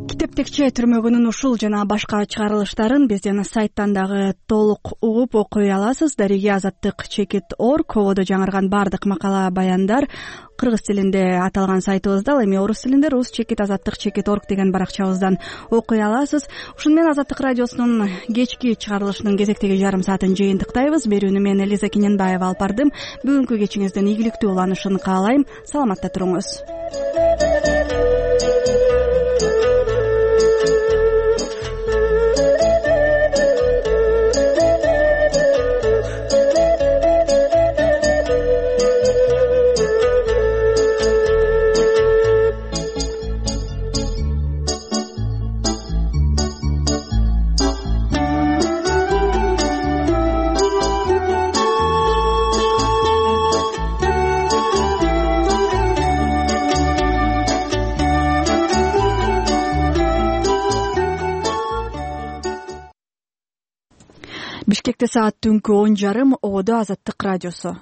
Китепте Текче түрмөгүнүн ушул жана башка чыгарылыштарын биздин сайттан дагы толук угуп окуй аласыз. Дариги Азаттык Чекит.org кободо жаңырган баардык макала баяндар кыргыз тилинде аталган сайтыбызда, ал эми орус тилинде Рус Чекит Азаттык Чекит.org деген баракчабыздан окуй аласыз. Ушуну менен Азаттык радиосунун кечки чыгарылышынын кезектеги жарым саатын жыйынтыктайбыз. Берүүнү мен Элиза Киненбаева алып бардым. Бүгүнкү кечиңиздин ийгиликтүү уланышын каалайм. Саламатта туруңуз. Бишкекте саат түнкү 10:30. Ободо Азаттык радиосу.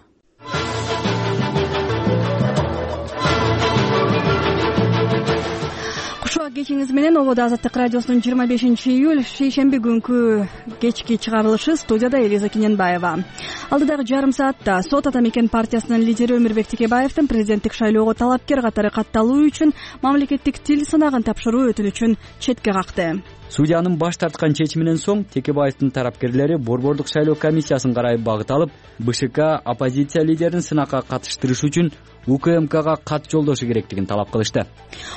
Кушуак кечиңиз менен Ободо Азаттык радиосунун 25-июль шейшемби күнкү кечки чыгарылышы. Студияда Элиза Киненбаева. Алдыдагы жарым саатта Сот ата мекен партиясынын лидери Өмүрбек Текебаевдин президенттик шайлоого талапкер катары катталуу үчүн мамлекеттик тил сынагын тапшыруу өтүнүчүн четке какты. Судьянын баш тарткан чечиминен соң Текебаевдин тарапкерлери Борбордук шайлоо комиссиясын карай багыт алып, БШК оппозиция лидерин сынакка катыштырыш үчүн УКМКга кат жолдошу керектигин талап кылышты.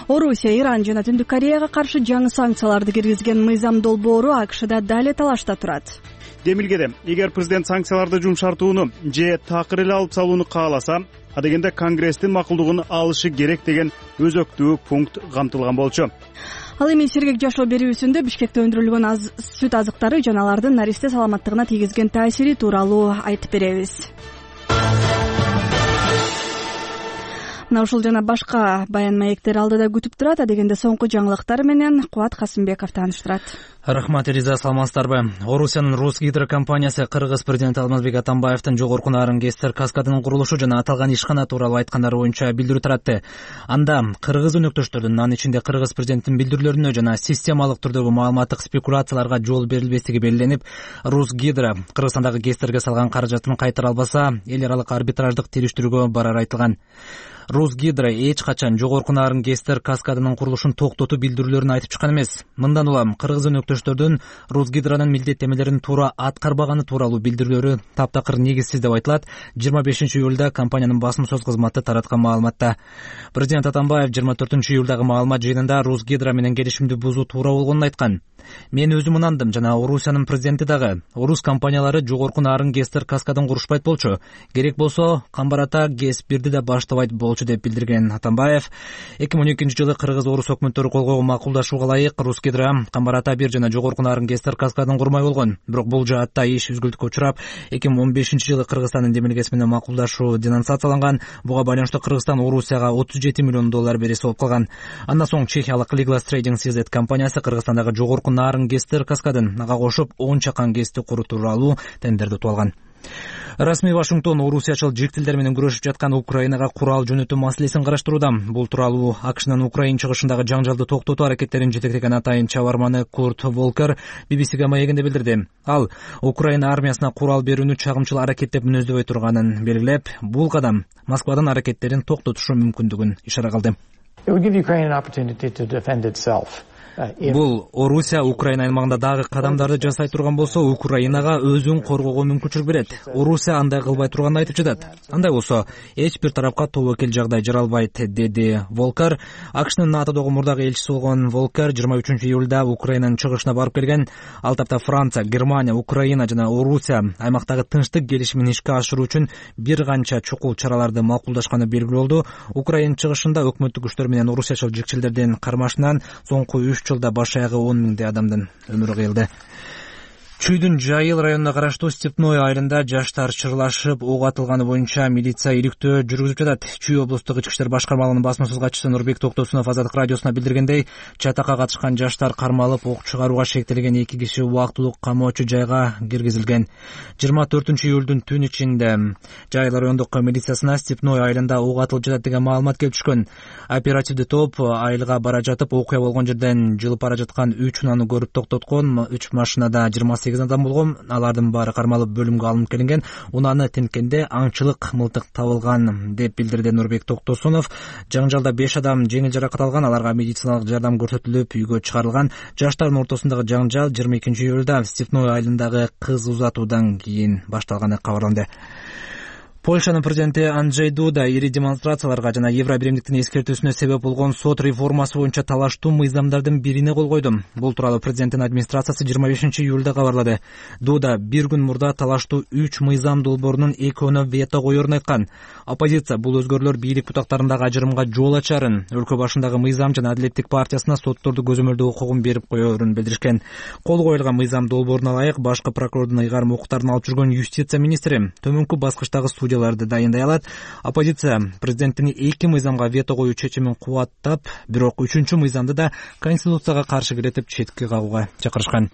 Орусия, Иран жана Түндүк Кореяга каршы жаңы санкцияларды киргизген мыйзам долбоору АКШда дали талашта турат. Демилгеде, эгер президент санкцияларды жумшартууну же такыр эле алып салууну кааласа, адегенде Конгресстин макулдугун алышы керек деген өзөктүү пункт камтылган болчу. Ал эми сергек жашоо берүүсүндө Бишкекте өндүрүлгөн сүт азыктары жана алардын наристе саламаттыгына тийгизген таасири тууралуу айтып беребиз. Мына ушул жана башка баян маектер алдыда күтүп турат. Адегенде соңку жаңылыктар менен Кубат Касымбеков тааныштырат. Рахмат, Элиза, саламатсыздарбы? Орусиянын Росгидро компаниясы Кыргыз президенти Алмазбек Атамбаевдин жогорку нарын Гестер каскадынын курулушу жана аталган ишкана тууралуу айткандары боюнча билдирүү таратты. Анда кыргыз өнөктөштөрдүн, анын ичинде Кыргыз президентинин билдирүүлөрүнө жана системалык түрдөгү маалыматтык спекуляцияларга жол берилбестиги белгиленип, Росгидро Кыргызстандагы Гестерге салган каражатын кайтара албаса, эл аралык арбитраждык териштирүүгө барары айтылган. Росгидро эч качан жогорку нарын Гестер каскадынын курулушун токтотуу билдирүүлөрүн айтып чыккан эмес. Мындан улам кыргыз өнөктөштөрдүн Росгидронун милдеттемелерин туура аткарбаганы тууралуу билдирүүлөрү таптакыр негизсиз деп айтылат. 25-июлда компаниянын басым сөз кызматы тараткан маалыматта. Президент Атамбаев 24-июлдагы маалымат жыйынында Росгидро менен келишимди бузуу туура болгонун айткан. Мен өзүм ынандым жана Орусиянын президенти дагы. Орус компаниялары жогорку нарын Гестер каскадын курушпайт болчу. Керек болсо Камбарата ГЭС-1ди да баштабайт болчу деп билдирген Атамбаев. 2012-жылы Кыргыз-Орус өкмөттөрү кол койгон макулдашууга ылайык Росгидро Камбарата 1 жана жогорку нарын Гестер каскадын курмай болгон. Бирок бул жаатта иш үзгүлтүккө учурап, 2015-жылы Кыргызстандын демилгеси менен макулдашуу денонсацияланган. Буга байланыштуу Кыргызстан Орусияга $37 миллион бериси болуп калган. Андан соң чехиялык Liglas Trading CZ компаниясы Кыргызстандагы жогорку нарын Гестер каскадын ага кошуп 10 чакан ГЭСти куруу тууралуу тендерди утуп алган. Расмий Вашингтон орусиячыл жиктилдер менен күрөшүп жаткан Украинага курал жөнөтүү маселесин караштырууда. Бул тууралуу АКШнын Украин чыгышындагы жаңжалды токтотуу аракеттерин жетектеген атайын чабарманы Курт Волкер BBC маегинде билдирди. Ал Украина армиясына курал берүүнү чагымчыл аракет деп мүнөздөбөй турганын белгилеп, бул кадам Москвадан аракеттерин токтотушу мүмкүндүгүн ишара кылды. Бул Орусия Украина аймагында дагы кадамдарды жасай турган болсо, Украинага өзүн коргоого мүмкүнчүлүк берет. Орусия андай кылбай турганын айтып жатат. Андай болсо, эч бир тарапка тобокел жагдай жаралбайт, деди Волкер. АКШнын НАТОдогу мурдагы элчиси болгон Волкер 23-июлда Украинанын чыгышына барып келген. Ал тапта Франция, Германия, Украина жана Орусия аймактагы тынчтык келишимин ишке ашыруу үчүн бир канча чукул чараларды макулдашканы белгилүү болду. Украин чыгышында өкмөттүк күчтөр менен орусиячыл жикчилдердин кармашынан соңку 3 жылда баш аягы 10 миңдей адамдын өмүрү кыйылды. Чүйдүн Жайыл районуна караштуу Степной айылында жаштар чырлашып ок атылганы боюнча милиция иликтөө жүргүзүп жатат. Чүй облустук ички иштер башкармалыгынын басма сөз катчысы Нурбек Токтосунов Азаттык радиосуна билдиргендей, чатакка катышкан жаштар кармалып, ок чыгарууга шектелген 2 киши убактылуу камоочу жайга киргизилген. 24-июлдун түн ичинде Жайыл райондук милициясына Степной айылында ок атылып жатат деген маалымат келип түшкөн. Оперативдик топ айылга бара жатып, окуя болгон жерден жылып бара жаткан 3 унаны көрүп токтоткон. 3 машинада 28 адам болгон. Алардын баары кармалып бөлүмгө алынып келинген. Унаны тинткенде аңчылык мылтык табылган деп билдирди Нурбек Токтосунов. Жаңжалда 5 адам жеңил жаракат алган. Аларга медициналык жардам көрсөтүлүп, үйгө чыгарылган. Жаштардын ортосундагы жаңжал 22-июлда Степной айылындагы кыз узатуудан кийин башталганы кабарланды. Польшанын президенти Анджей Дуда ири демонстрацияларга жана Евро биримдиктин эскертүүсүнө себеп болгон сот реформасы боюнча талаштуу мыйзамдардын бирине кол койду. Бул тууралуу президенттин администрациясы 25-июлда кабарлады. Дуда бир күн мурда талаштуу 3 мыйзам долбоорунун экөөнө вето коерун айткан. Оппозиция бул өзгөрүүлөр бийлик бутактарындагы ажырымга жол ачарын, өлкө башындагы мыйзам жана Адилеттик партиясына сотторду көзөмөлдөө укугун берип коерун билдиришкен. Кол коюлган мыйзам долбооруна ылайык башкы прокурордун ыйгарым укуктарын алып жүргөн юстиция министри төмөнкү баскычтагы судьяларды дайындай алат. Оппозиция президенттин 2 мыйзамга вето коюу чечимин кубаттап, бирок 3-чү мыйзамды да конституцияга каршы киретип четке кагууга чакырышкан.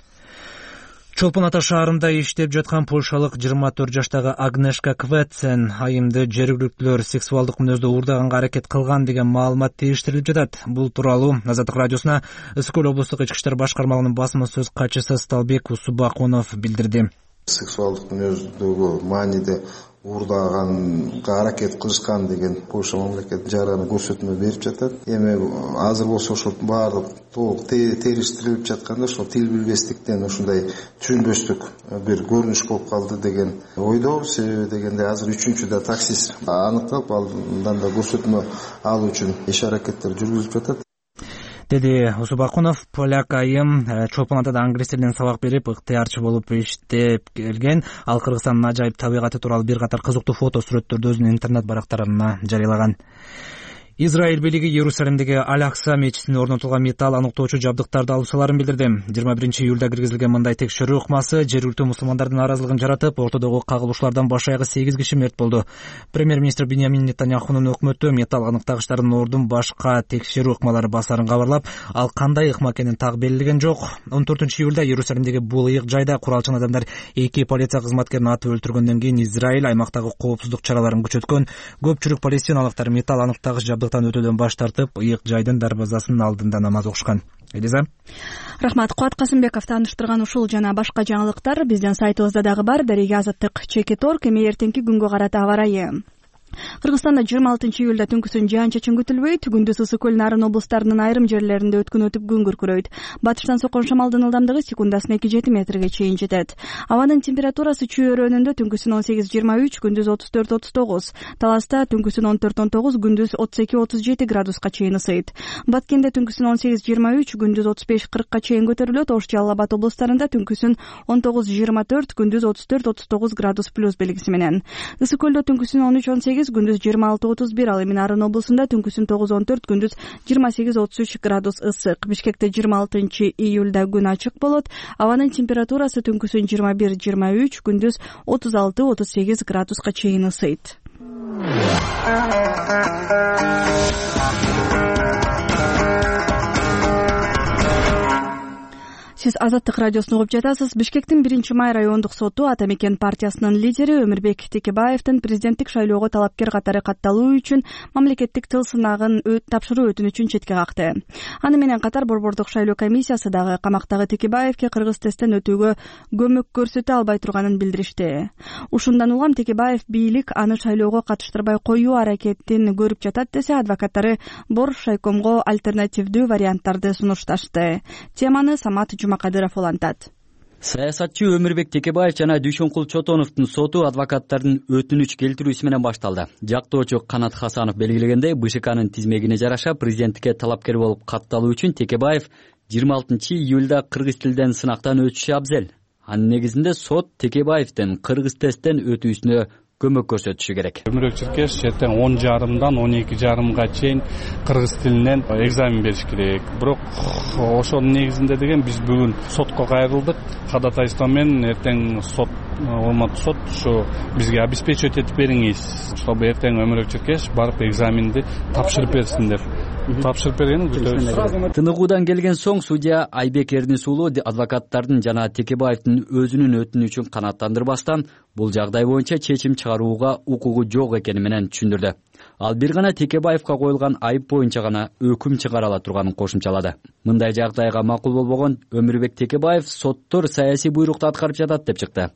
Чолпон Ата шаарында иштеп жаткан польшалык 24 жаштагы Агнешка Кветсен айымды жергиликтүүлөр сексуалдык мүнөздө уурдаганга аракет кылган деген маалымат териштирилип жатат. Бул тууралуу Азаттык радиосуна Ысык көл облустук ички иштер башкармалыгынын басма сөз катчысы Сталбек Усубакунов билдирди. Сексуалдык мүнөздөгү мааниде уурдаганга аракет кылышкан деген Польша мамлекети жараны көрсөтмө берип жатат. Эми азыр болсо ошол баардык толук териштирилип жатканда ошол тил билбестиктен ушундай түшүнбөстүк бир көрүнүш болуп калды деген ойдобуз. Себеби дегенде азыр 3-да таксист аныкталып, андан да көрсөтмө алуу үчүн иш аракеттер жүргүзүлүп жатат, деди Усубакунов. Поляк айым Чолпон Атада англис тилинен сабак берип, ыктыярчы болуп иштеп келген. Ал Кыргызстандын ажайып табигаты тууралуу бир катар кызыктуу фото сүрөттөрдү өзүнүн интернет барактарына жарыялаган. Израиль бийлиги Иерусалимдеги Аль-Акса мечитине орнотулган металл аныктоочу жабдыктарды алып саларын билдирди. 21-июлда киргизилген мындай текшерүү ыкмасы жергиликтүү мусулмандардын нааразылыгын жаратып, ортодогу кагылышуулардан баш аягы 8 киши мерт болду. Премьер-министр Биньямин Нетаньяхунун өкмөтү металл аныктагычтардын ордун башка текшерүү ыкмалары басарын кабарлап, ал кандай ыкма экенин так белгилеген жок. 14-июлда Иерусалимдеги бул ыйык жайда куралчан адамдар 2 полиция кызматкерин атып өлтүргөндөн кийин Израиль аймактагы коопсуздук чараларын күчөткөн. Көпчүлүк палестиналыктар металл аныктагыч өтүүдөн баш тартып, ыйык жайдын дарбазасынын алдында намаз окушкан. Элиза. Рахмат. Куат Касымбеков тааныштырган ушул жана башка жаңылыктар биздин сайтыбызда дагы бар. Дареге Азаттык Чекитор. Эми эртеңки күнгө карата аба ырайы. Кыргызстанда 26-июлда түнкүсүн жаан-чачын күтүлбөйт. Күндүз Ысык көл нарын облустарынын айрым жерлеринде өткөн өтүп күн күркүрөйт. Батыштан соккон шамалдын ылдамдыгы секундасына 2-7 метрге чейин жетет. Абанын температурасы чүй өрөөнүндө түнкүсүн 18-23, күндүз 34-39, Таласта түнкүсүн 14-19, күндүз 32-37 градуска чейин ысыйт. Баткенде түнкүсүн 18-23, күндүз 35-40ка чейин көтөрүлөт. Ош Жалал Абад облустарында түнкүсүн 19-24, күндүз 34-39 градус плюс белгиси менен. Ысык көлдө түнкүсүн 13-18, күндүз 26-31, ал эми Нарын облусунда түнкүсүн 9-14, күндүз 28-33 градус ысык. Бишкекте 26-июлда күн ачык болот. Абанын температурасы түнкүсүн 21-23, күндүз 36-38 градуска чейин ысыйт. Сиз Азаттык радиосун угуп жатасыз. Бишкектин 1-май райондук соту Ата Мекен партиясынын лидери Өмүрбек Текебаевдин президенттик шайлоого талапкер катары катталуу үчүн мамлекеттик тыл сынагын тапшыруу өтүнүчүн четке какты. Аны менен катар борбордук шайлоо комиссиясы дагы камактагы Текебаевке кыргыз тесттен өтүүгө көмөк көрсөтө албай турганын билдиришти. Ушундан улам Текебаев бийлик аны шайлоого катыштырбай коюу аракетин көрүп жатат десе, адвокаттары Борш шайкомго альтернативдүү варианттарды сунушташты. Теманы Самат Жумакадыров улантат. Саясатчы Өмүрбек Текебаев жана Дүйшөнкул Чотоновдун соту адвокаттардын өтүнүч келтирүүсү менен башталды. Жактоочу Канат Хасанов белгилегендей, БШКнын тизмегине жараша президенттикке талапкер болуп катталуу үчүн Текебаев 26-июлда кыргыз тилден сынактан өтүшү абзел. Анын негизинде сот Текебаевдин кыргыз тесттен өтүүсүнө көмөк көрсөтүшү керек. Өмүрбек Чиркеш эртең 10:30-дан 12:30 чейин кыргыз тилинен экзамен бериш керек. Бирок ошонун негизинде деген биз бүгүн сотко кайрылдык. Кадатайство менен эртең сот, урматтуу сот, ушу бизге обеспечивать этип бериңиз, чтобы эртең Өмүрбек Чиркеш барып экзаменди тапшырып берсин деп. Тапшырып бергенин күтөбүз. Тыныгуудан келген соң судья Айбек Эрнис уулу адвокаттардын жана Текебаевдин өзүнүн өтүнүчүн канааттандырбастан бул жагдай боюнча чечим чыгарууга укугу жок экени менен түшүндүрдү. Ал бир гана Текебаевга коюлган айып боюнча гана өкүм чыгарыла турганын кошумчалады. Мындай жагдайга макул болбогон Өмүрбек Текебаев соттор саясий буйрукту аткарып жатат деп чыкты.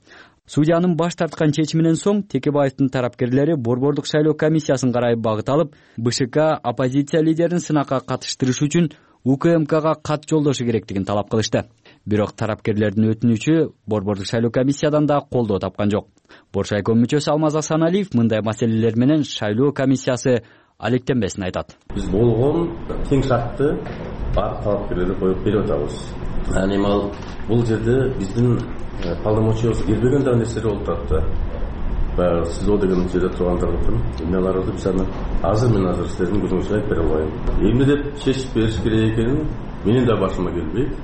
Судьянын баш тарткан чечиминен соң Текебаевдин тарапкерлери Борбордук шайлоо комиссиясын карай багыт алып, БШК оппозиция лидерин сынакка катыштырыш үчүн УКМКга кат жолдошу керектигин талап кылышты. Бирок тарапкерлердин өтүнүчү Борбордук шайлоо комиссиядан да колдоо тапкан жок. Боршайком мүчөсү Алмаз Асаналиев мындай маселелер менен шайлоо комиссиясы алектенбесин айтат. Биз болгон тең шартты бар талапкерлерге коюп берип атабыз. Эми бул жерде биздин полномочиябыз келбеген да нерселер болуп турат да. Баягы СИЗО деген жерде тургандардын эмнелери биз аны азыр силердин көзүңүзгө айтып бере албайм. Эмне деп чечип бериш керек экенин менин да башыма келбейт.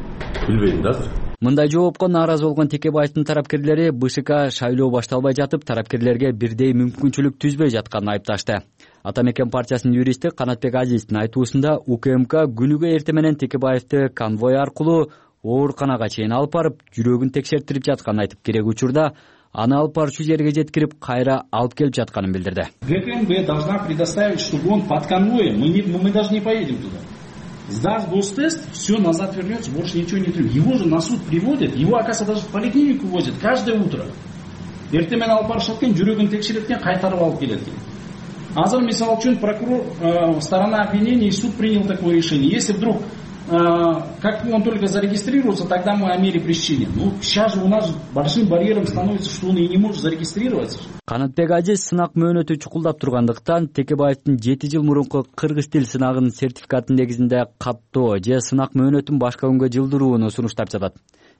Билбейм да азыр. Мындай жоопко нааразы болгон Текебаевдин тарапкерлери БШК шайлоо башталбай жатып тарапкерлерге бирдей мүмкүнчүлүк түзбөй жатканын айыпташты. Ата Мекен партиясынын юристи Канатбек Азиздин айтуусунда УКМК күнүгө эрте менен Текебаевди конвой аркылуу ооруканага чейин алып барып, жүрөгүн текшертирип жатканын айтып, керек учурда аны алып барчу жерге жеткирип, кайра алып келип жатканын билдирди. ГКМБ должна предоставить, чтобы он под конвоем, мы даже не поедем туда. Сдаст гостест, все назад вернется, больше ничего не требует. Его же на суд приводят, его, оказывается, даже в поликлинику возят каждое утро. Эрте менен алып барышат экен, жүрөгүн текшерет экен, кайтарып алып келет экен. Азыр мисалы үчүн прокурор, сторона обвинения и суд принял такое решение. Если вдруг как он только зарегистрируется, тогда мы о мере пресечения. Ну, сейчас же у нас большим барьером становится, что он и не может зарегистрироваться. Канатбек Азиз сынак мөөнөтү чукулдап тургандыктан Текебаевдин 7 жыл мурунку кыргыз тил сынагынын сертификатын негизинде каттоо же сынак мөөнөтүн башка күнгө жылдырууну сунуштап жатат.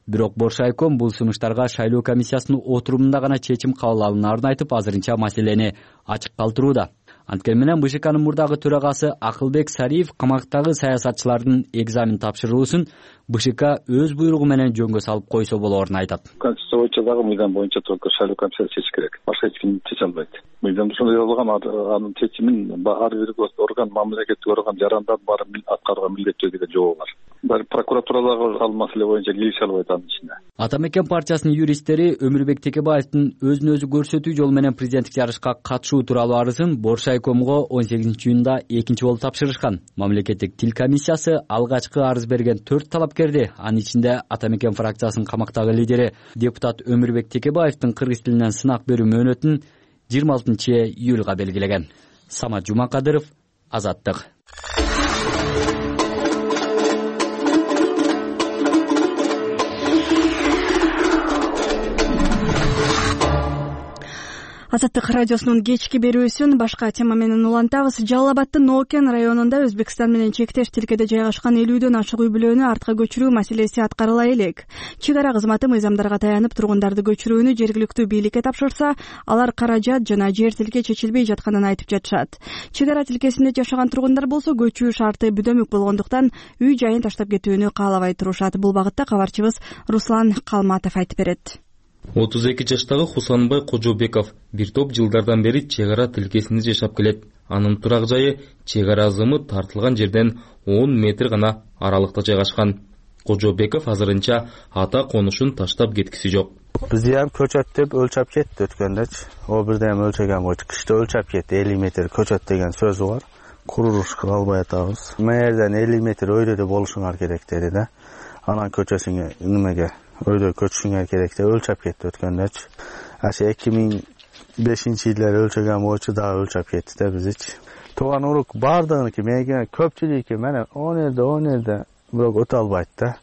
Бирок Боршайком бул сунуштарга шайлоо комиссиясынын отурумунда гана чечим кабыл алынаарын айтып, азырынча маселени ачык калтырууда. Анткени менен БШКнын мурдагы төрагасы Акылбек Сариев камактагы саясатчылардын экзамен тапшыруусун БШК өз буйругу менен жөнгө салып койсо болоорун айтат. Конституция боюнча дагы мыйзам боюнча только шайлоо комиссиясы чечиш керек. Башка эч ким чече албайт. Мыйзамда ошондой болгон, анын чечимин ар бир орган, мамлекеттик орган жарандар баары аткарууга милдеттүү деген жобо бар. Бир прокуратурадагы ал маселе боюнча киришише албайт анын ичине. Ата Мекен партиясынын юристтери Өмүрбек Текебаевдин өзүн өзү көрсөтүү жолу менен президенттик жарышка катышуу тууралуу арызын Боршайкомго 18-июнда экинчи болуп тапшырышкан. Мамлекеттик тил комиссиясы алгачкы арыз берген 4 талапкерди, анын ичинде Ата Мекен фракциясынын камактагы лидери депутат Өмүрбек Текебаевдин кыргыз тилинен сынак берүү мөөнөтүн 26-июлга белгилеген. Самат Жумакадыров, Азаттык. Азаттык радиосунун кечки берүүсүн башка тема менен улантабыз. Жалал Абаддын Нокен районунда Өзбекстан менен чектеш тилкеде жайгашкан 50дөн ашык үй бүлөнү артка көчүрүү маселеси аткарыла элек. Чек ара кызматы мыйзамдарга таянып тургундарды көчүрүүнү жергиликтүү бийликке тапшырса, алар каражат жана жер тилке чечилбей жатканын айтып жатышат. Чек ара тилкесинде жашаган тургундар болсо көчүү шарты бүдөмүк болгондуктан үй жайын таштап кетүүнү каалабай турушат. Бул багытта кабарчыбыз Руслан Калматов айтып берет. 32 жаштагы Хусанбай Кожобеков бир топ жылдардан бери чек ара тилкесинде жашап келет. Анын турак жайы чек ара азымы тартылган жерден 10 метр гана аралыкта жайгашкан. Кожобеков азырынча ата конушун таштап кеткиси жок. Бизди ham көчөт деп өлчөп кетти өткөндөгү. О бирде ham өлчөгөн койчу. Кышта өлчөп кетти. 50 метр көчөт деген сөзү бар. Курулуш кыла албай атабыз. Мэрден 50 метр өйдөдө болушуңар керек деди да. Анан көчөсүңө немеге өйдө көчүшүңөр керек деп өлчөп кетти өткөндөгү. Ашы 2005-жылдары өлчөгөн боюнча дагы өлчөп кетти да бизичи. Тууган урук бардыгыныкы менен көпчүлүкү менен 10 жерде бирок өтө албайт да.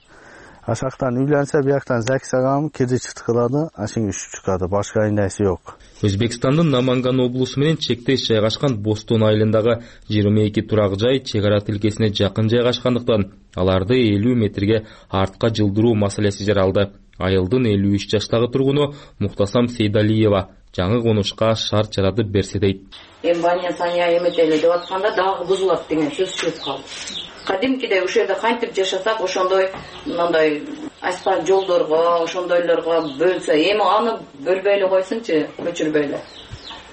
Ашактан үйлөнсө бияктан ЗАГС агам кредит кылады, ашың үш чыкады, башка нерсе жок. Өзбекстандын Наманган облусу менен чектеш жайгашкан Бостон айылындагы 22 турак жай чек ара тилкесине жакын жайгашкандыктан аларды 50 метрге артка жылдыруу маселеси жаралды. Айылдын 53 жаштагы тургуну Муктасам Сейдалиева жаңы конушка шарт жаратып берсе дейт. Бания Сания эметели деп атканда дагы бузулат деген сөз чыгып калды. Кадимкидей ушул жерде кантип жашасак, ошондой мындай асфальт жолдорго, ошондойлорго бөлсө, эми аны бөлбөй эле койсунчу, көчүрбөй эле.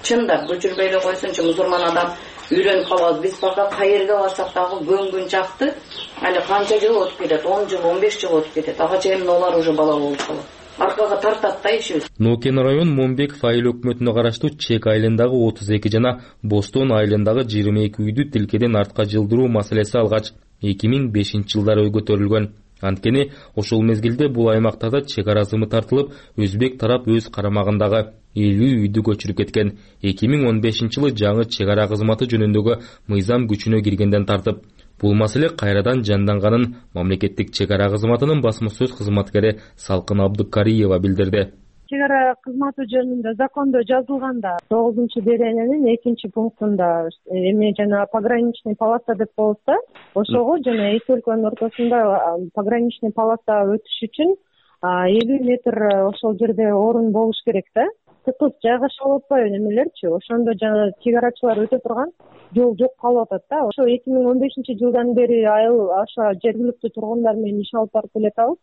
Чындап көчүрбөй эле койсунчу, мусулман адам үйрөнүп калабыз. Биз пока кайерге барсак дагы күн чакты, али канча жыл өтүп кетет, 10 жыл, 15 жыл өтүп кетет. Ага чейин олар уже бала болуп калат. Аркага тартат да ишибиз. Нокен район Момбеков айыл өкмөтүнө караштуу Чек айылындагы 32 жана Бостон айылындагы 22 үйдү тилкеден артка жылдыруу маселеси алгач 2005-жылдары көтөрүлгөн. Анткени ошол мезгилде бул аймактарда чек ара зымы тартылып, өзбек тарап өз карамагындагы 50 үйдү көчүрүп кеткен. 2015-жылы жаңы чек ара кызматы жөнүндөгү мыйзам күчүнө киргенден тартып, бул маселе кайрадан жанданганын мамлекеттик чек ара кызматынын басма сөз кызматкери Салкын Абдыкариева билдирди. Чек ара кызматы жөнүндө закондо жазылганда 9-берененин 2-пунктунда эми жана пограничный полоса деп болот да, ошого жана эки өлкөнүн ортосунда пограничный полоса өтүш үчүн 50 метр ошол жерде орун болуш керек да. Тыкыз жайгашып атпайбы немелерчи, ошондо жана чек арачылар өтө турган жол жок калып атат да. Ошо 2015-жылдан бери айыл аша жергиликтүү тургундар менен иш алып барып келатабыз.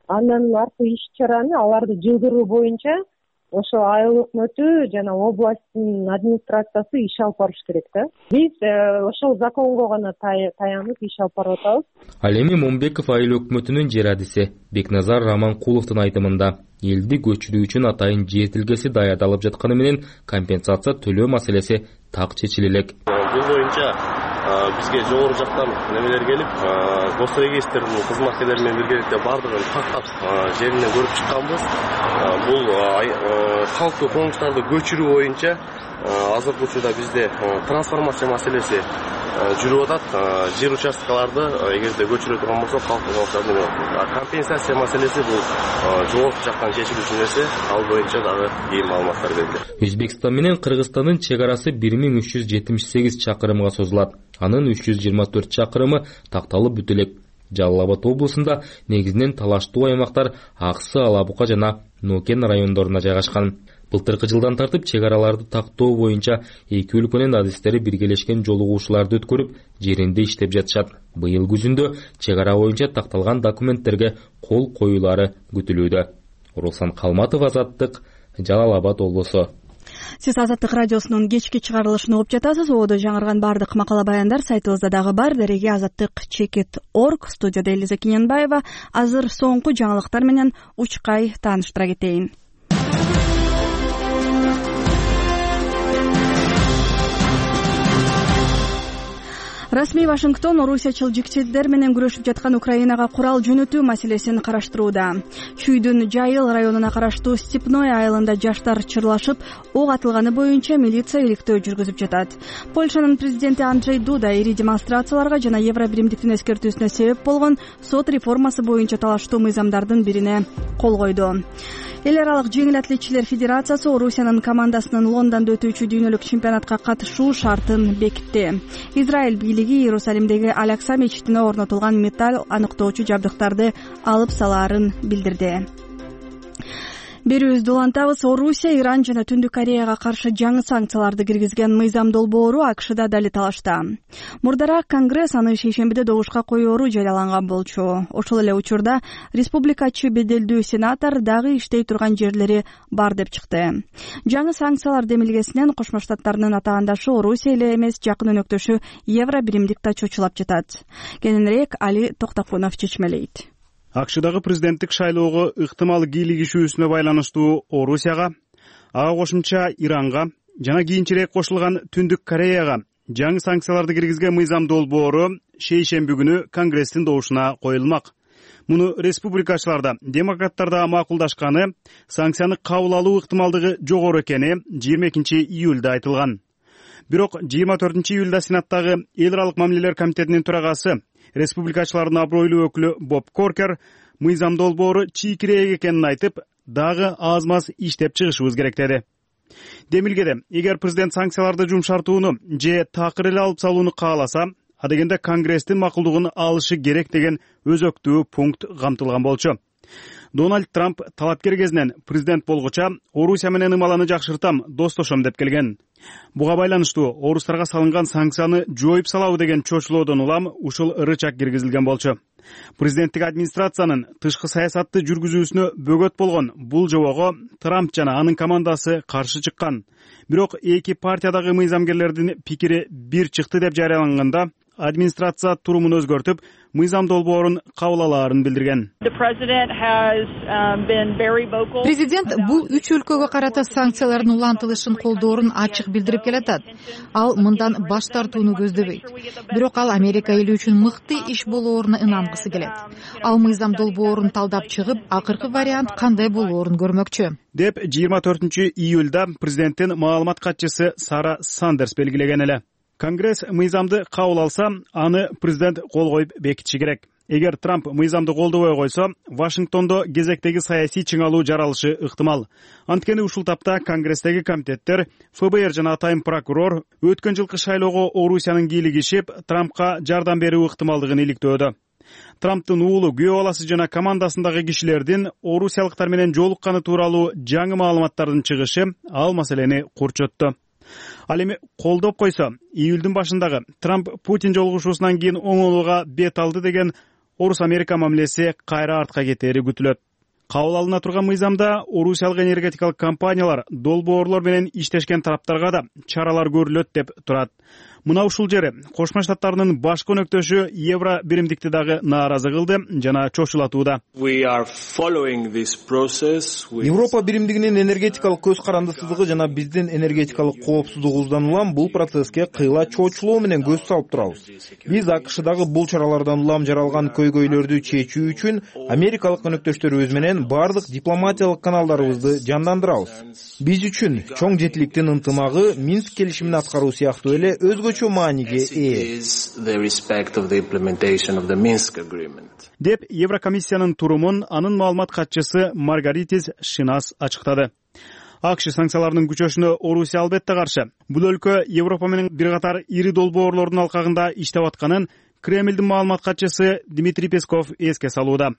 Андан аркы иш чараны аларды жылдыруу боюнча ошо айыл өкмөтү жана областтын администрациясы иш алып барыш керек да. Биз ошол законго гана таянып иш алып барып атабыз. Ал эми Момбеков айыл өкмөтүнүн жерадиси Бекназар Раманкуловдун айтымында элди көчүрүү үчүн атайын жер тилкеси даярдалып жатканы менен компенсация төлөө маселеси так чечиле элек. Бул боюнча бизге жогору жактан немелер келип, Госрегистрдин кызматкерлери менен биргеликте бардыгын тактап жеринен көрүп чыкканбыз. Бул калктуу конуштарды көчүрүү боюнча азыркы учурда бизде трансформация маселеси жүрүп атат. Жер участкаларды эгерде көчүрө турган болсок, компенсация маселеси бул жогорку жактан чечилүүчү нерсе. Ал боюнча дагы кийин маалыматтар берилет. Өзбекстан менен Кыргызстандын чек арасы 1378 чакырымга созулат. Анын 324 чакырымы такталып бүтө элек. Жалал Абад облусунда негизинен талаштуу аймактар Аксы, Алабука жана Нокен райондорунда жайгашкан. Былтыркы жылдан тартып чек араларды тактоо боюнча эки өлкөнүн адистери биргелешкен жолугушууларды өткөрүп, жеринде иштеп жатышат. Быйыл күзүндө чек ара боюнча такталган документтерге кол коюлары күтүлүүдө. Руслан Калматов, Азаттык, Жалал Абад облусу. Сиз Азаттык радиосунун кечки чыгарылышын угуп жатасыз. Ободо жаңырган бардык макала баяндар сайтыбызда дагы бар. Дереге azattik.org. Студияда Элиза Киненбаева. Азыр соңку жаңылыктар менен учкай тааныштыра кетейин. Расмий Вашингтон орусиячыл жикчилдер менен күрөшүп жаткан Украинага курал жөнөтүү маселесин караштырууда. Чүйдүн Жайыл районуна караштуу Степной айылында жаштар чырлашып, ок атылганы боюнча милиция иликтөө жүргүзүп жатат. Польшанын президенти Анджей Дуда ири демонстрацияларга жана Евробиримдиктин эскертүүсүнө себеп болгон сот реформасы боюнча талаштуу мыйзамдардын бирине кол койду. Эл аралык жеңил атлетчилер федерациясы Орусиянын командасынын Лондондо өтүүчү дүйнөлүк чемпионатка катышуу шартын бекитти. Израиль бийлиги Иерусалимдеги Алякса мечитине орнотулган металл аныктоочу жабдыктарды алып салаарын билдирди. Берүүбүздү улантабыз. Орусия Иран жана Түндүк Кореяга каршы жаңы санкцияларды киргизген мыйзам долбоору АКШда дали талашта. Мурдараак Конгресс аны шейшембиде добушка коёру жарыяланган болчу. Ошол эле учурда республикачы беделдүү сенатор дагы иштей турган жерлери бар деп чыкты. Жаңы санкциялар демилгесинен Кошмо Штаттардын атаандашы Орусия эле эмес, жакын өнөктөшү Евробиримдик да чочулап жатат. Кененирээк Али Токтокунов чечмелейт. АКШдагы президенттик шайлоого ыктымал кийлигишүүсүнө байланыштуу Орусияга, ага кошумча Иранга жана кийинчерээк кошулган Түндүк Кореяга жаңы санкцияларды киргизген мыйзам долбоору шейшемби күнү Конгресстин добушуна коюлмак. Муну республикачылар да, демократтар да макулдашканы, санкцияны кабыл алуу ыктымалдыгы жогору экени 22-июлда айтылган. Бирок 24-июлда Сенаттагы эл аралык мамилелер комитетинин төрагасы, республикачылардын абройлуу өкүлү Боб Коркер мыйзам долбоору чийкирээк экенин айтып, дагы аз-маз иштеп чыгышыбыз керек деди. Демилгеде, эгер президент санкцияларды жумшартууну же такыр эле алып салууну кааласа, адегенде Конгресстин макулдугун алышы керек деген өзөктүү пункт камтылган болчу. Дональд Трамп талапкер кезинен президент болгуча Орусия менен ымаланы жакшыртам, достошом деп келген. Буга байланыштуу орустарга салынган санкцияны жоюп салабы деген чочулоодон улам ушул рычаг киргизилген болчу. Президенттик администрациянын тышкы саясатты жүргүзүүсүнө бөгөт болгон бул жобого Трамп жана анын командасы каршы чыккан. Бирок эки партиядагы мыйзамгерлердин пикири бир чыкты деп жарыяланганда администрация турумун өзгөртүп, мыйзам долбоорун кабыл алаарын билдирген. Президент бул үч өлкөгө карата санкциялардын улантылышын колдоорун ачык билдирип келатат. Ал мындан баш тартууну көздөбөйт. Бирок ал Америка эли үчүн мыкты иш болооруна ынангысы келет. Ал мыйзам долбоорун талдап чыгып, акыркы вариант кандай болоорун көрмөкчү. Деп 24-июлда президенттин маалымат катчысы Сара Сандерс белгилеген эле. Конгресс мыйзамды кабыл алса, аны президент кол коюп бекитиши керек. Эгер Трамп мыйзамды колдобой койсо, Вашингтондо кезектеги саясий чыңалуу жаралышы ыктымал. Анткени ушул тапта Конгресстеги комитеттер, ФБР жана атайын прокурор өткөн жылкы шайлоого Орусиянын кийлигишип, Трампка жардам берүү ыктымалдыгын иликтөөдө. Трамптын уулу, күйөө баласы жана командасындагы кишилердин орусиялыктар менен жолукканы тууралуу жаңы маалыматтардын чыгышы ал маселени курчотту. Ал эми колдоп койсо, июлдун башындагы Трамп Путин жолугушуусунан кийин оңолууга бет алды деген Орус-Америка мамилеси кайра артка кетери күтүлөт. Кабыл алына турган мыйзамда орусиялык энергетикалык компаниялар долбоорлор менен иштешкен тараптарга да чаралар көрүлөт деп турат. Мына ушул жери Кошмо Штаттарынын башкы өнөктөшү Евро биримдикти дагы нааразы кылды жана чочулатууда. Европа биримдигинин энергетикалык көз карандысыздыгы жана биздин энергетикалык коопсуздугубуздан улам бул процесске кыйла чочулоо менен көз салып турабыз. Биз АКШдагы бул чаралардан улам жаралган көйгөйлөрдү чечүү үчүн америкалык өнөктөштөрүбүз менен бардык дипломатиялык каналдарыбызды жандандырабыз. Биз үчүн чоң жетиликтин ынтымагы Минск келишимин аткаруу сыяктуу эле өзгөчө мааниге ээ. Деп Еврокомиссиянын турумун анын маалымат катчысы Маргаритис Шинас ачыктады. АКШ санкцияларынын күчөшүнө Орусия албетте каршы. Бул өлкө Европа менен бир катар ири долбоорлордун алкагында иштеп атканын Кремлдин маалымат катчысы Дмитрий Песков эске салууда.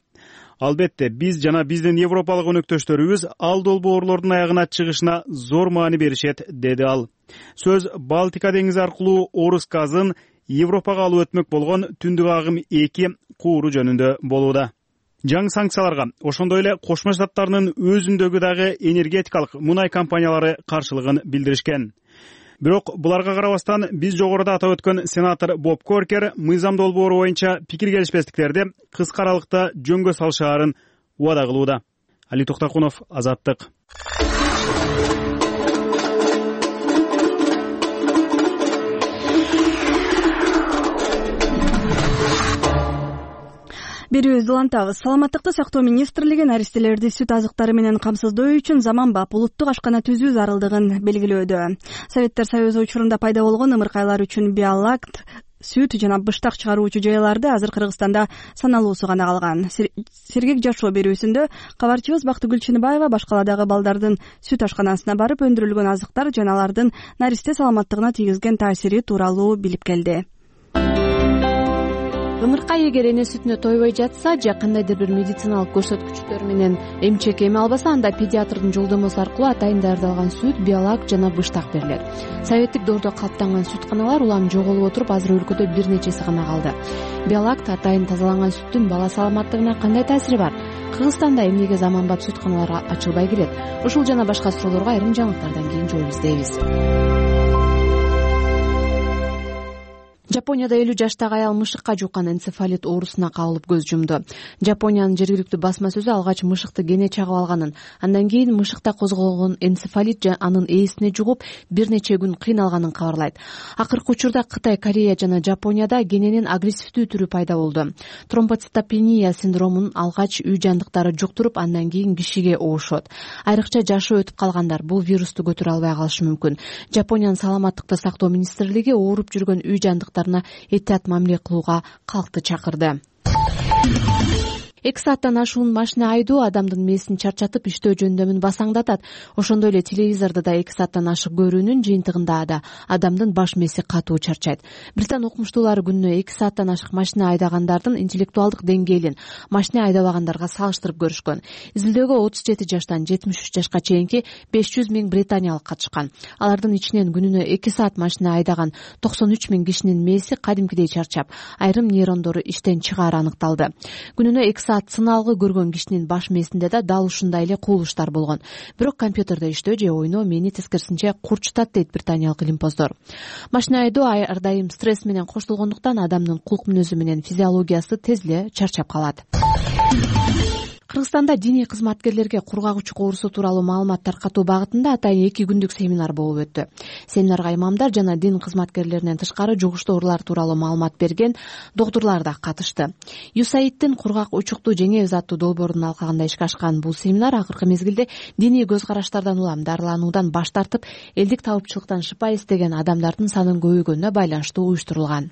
Албетте, биз жана биздин европалык өнөктөштөрүбүз ал долбоорлордун аягына чыгышына зор маани беришет, деди ал. Сөз Балтика деңизи аркылуу Орус газын Европага алып өтмөк болгон түндүк агым 2 кууру жөнүндө болууда. Жаңы санкцияларга ошондой эле Кошмо Штаттарынын өзүндөгү дагы энергетикалык мунай компаниялары каршылыгын билдиришкен. Бирок буларга карабастан биз жогоруда атап өткөн сенатор Боб Коркер мыйзам долбоору боюнча пикир келишпестиктерди кыска аралыкта жөнгө салышаарын убада кылууда. Али Токтакунов, Азаттык. Берүүбүздү улантабыз. Саламаттыкты сактоо министрлиги наристелерди сүт азыктары менен камсыздоо үчүн заманбап улуттук ашкана түзүү зарылдыгын белгилөөдө. Советтер Союзу учурунда пайда болгон ымыркайлар үчүн биолакт, сүт жана быштак чыгаруучу жайларды азыр Кыргызстанда саналуусу гана калган. Сергек жашоо берүүсүндө кабарчыбыз Бактыгүл Чыныбаева башкаладагы балдардын сүт ашканасына барып өндүрүлгөн азыктар жана алардын наристе саламаттыгына тийгизген таасири тууралуу билип келди. Ымыркай эгер эне сүтүнө тойбой жатса же кандайдыр бир медициналык көрсөткүчтөр менен эмчек эме албаса, анда педиатрдын жолдомосу аркылуу атайын даярдалган сүт, биолак жана быштак берилет. Советтик доордо калыптанган сүтканалар улам жоголуп отуруп, азыр өлкөдө бир нечеси гана калды. Биолакт атайын тазаланган сүттүн бала саламаттыгына кандай таасири бар? Кыргызстанда эмнеге заманбап сүтканалар ачылбай келет? Ушул жана башка суроолорго айрым жаңылыктардан кийин жооп издейбиз. Жапонияда 50 жаштагы аял мышыкка жуккан энцефалит оорусуна кабылып көз жумду. Жапониянын жергиликтүү басма сөзү алгач мышыкты кене чагып алганын, андан кийин мышыкта козголгон энцефалит анын ээсине жугуп бир нече күн кыйналганын кабарлайт. Акыркы учурда Кытай, Корея жана Жапонияда кененин агрессивдүү түрү пайда болду. Тромбоцитопения синдромун алгач үй жандыктары жуктуруп, андан кийин кишиге оошот. Айрыкча жашы өтүп калгандар бул вирусту көтөрө албай калышы мүмкүн. Жапониянын саламаттыкты сактоо министрлиги ооруп жүргөн үй жандыктары этият мамиле кылууга калкты чакырды. 2 сааттан ашуун машина айдоо адамдын мээсин чарчатып иштөө жөндөмүн басаңдатат. Ошондой эле телевизорду да 2 сааттан ашык көрүүнүн жыйынтыгында да адамдын баш мээси катуу чарчайт. Британ окумуштуулары күнүнө 2 сааттан ашык машина айдагандардын интеллектуалдык деңгээлин машина айдабагандарга салыштырып көрүшкөн. Изилдөөгө 37 жаштан 73 жашка чейинки 500 000 британиялык катышкан. Алардын ичинен күнүнө 2 саат машина айдаган 93 000 кишинин мээси кадимкидей чарчап, айрым нейрондору иштен чыгаары аныкталды. Күнүнө 2 саат сыналгы көргөн кишинин баш мээсинде да дал ушундай эле кубулуштар болгон. Бирок компьютерде иштөө же ойноо мени тескерисинче курчутат дейт британиялык илимпоздор. Машина айдоо ар дайым стресс менен коштолгондуктан адамдын кулк мүнөзү менен физиологиясы тез эле чарчап калат. Кыргызстанда диний кызматкерлерге кургак учук оорусу тууралуу маалымат таркатуу багытында атайын 2 күндүк семинар болуп өттү. Семинарга имамдар жана дин кызматкерлеринен тышкары жугуштуу оорулар тууралуу маалымат берген доктурлар да катышты. USAID'дин кургак учукту жеңебиз аттуу долбоорунун алкагында ишке ашкан бул семинар акыркы мезгилде диний көз караштардан улам дарылануудан баш тартып, элдик табыпчылыктан шыпа издеген адамдардын санын көбөйгөнүнө байланыштуу уюштурулган.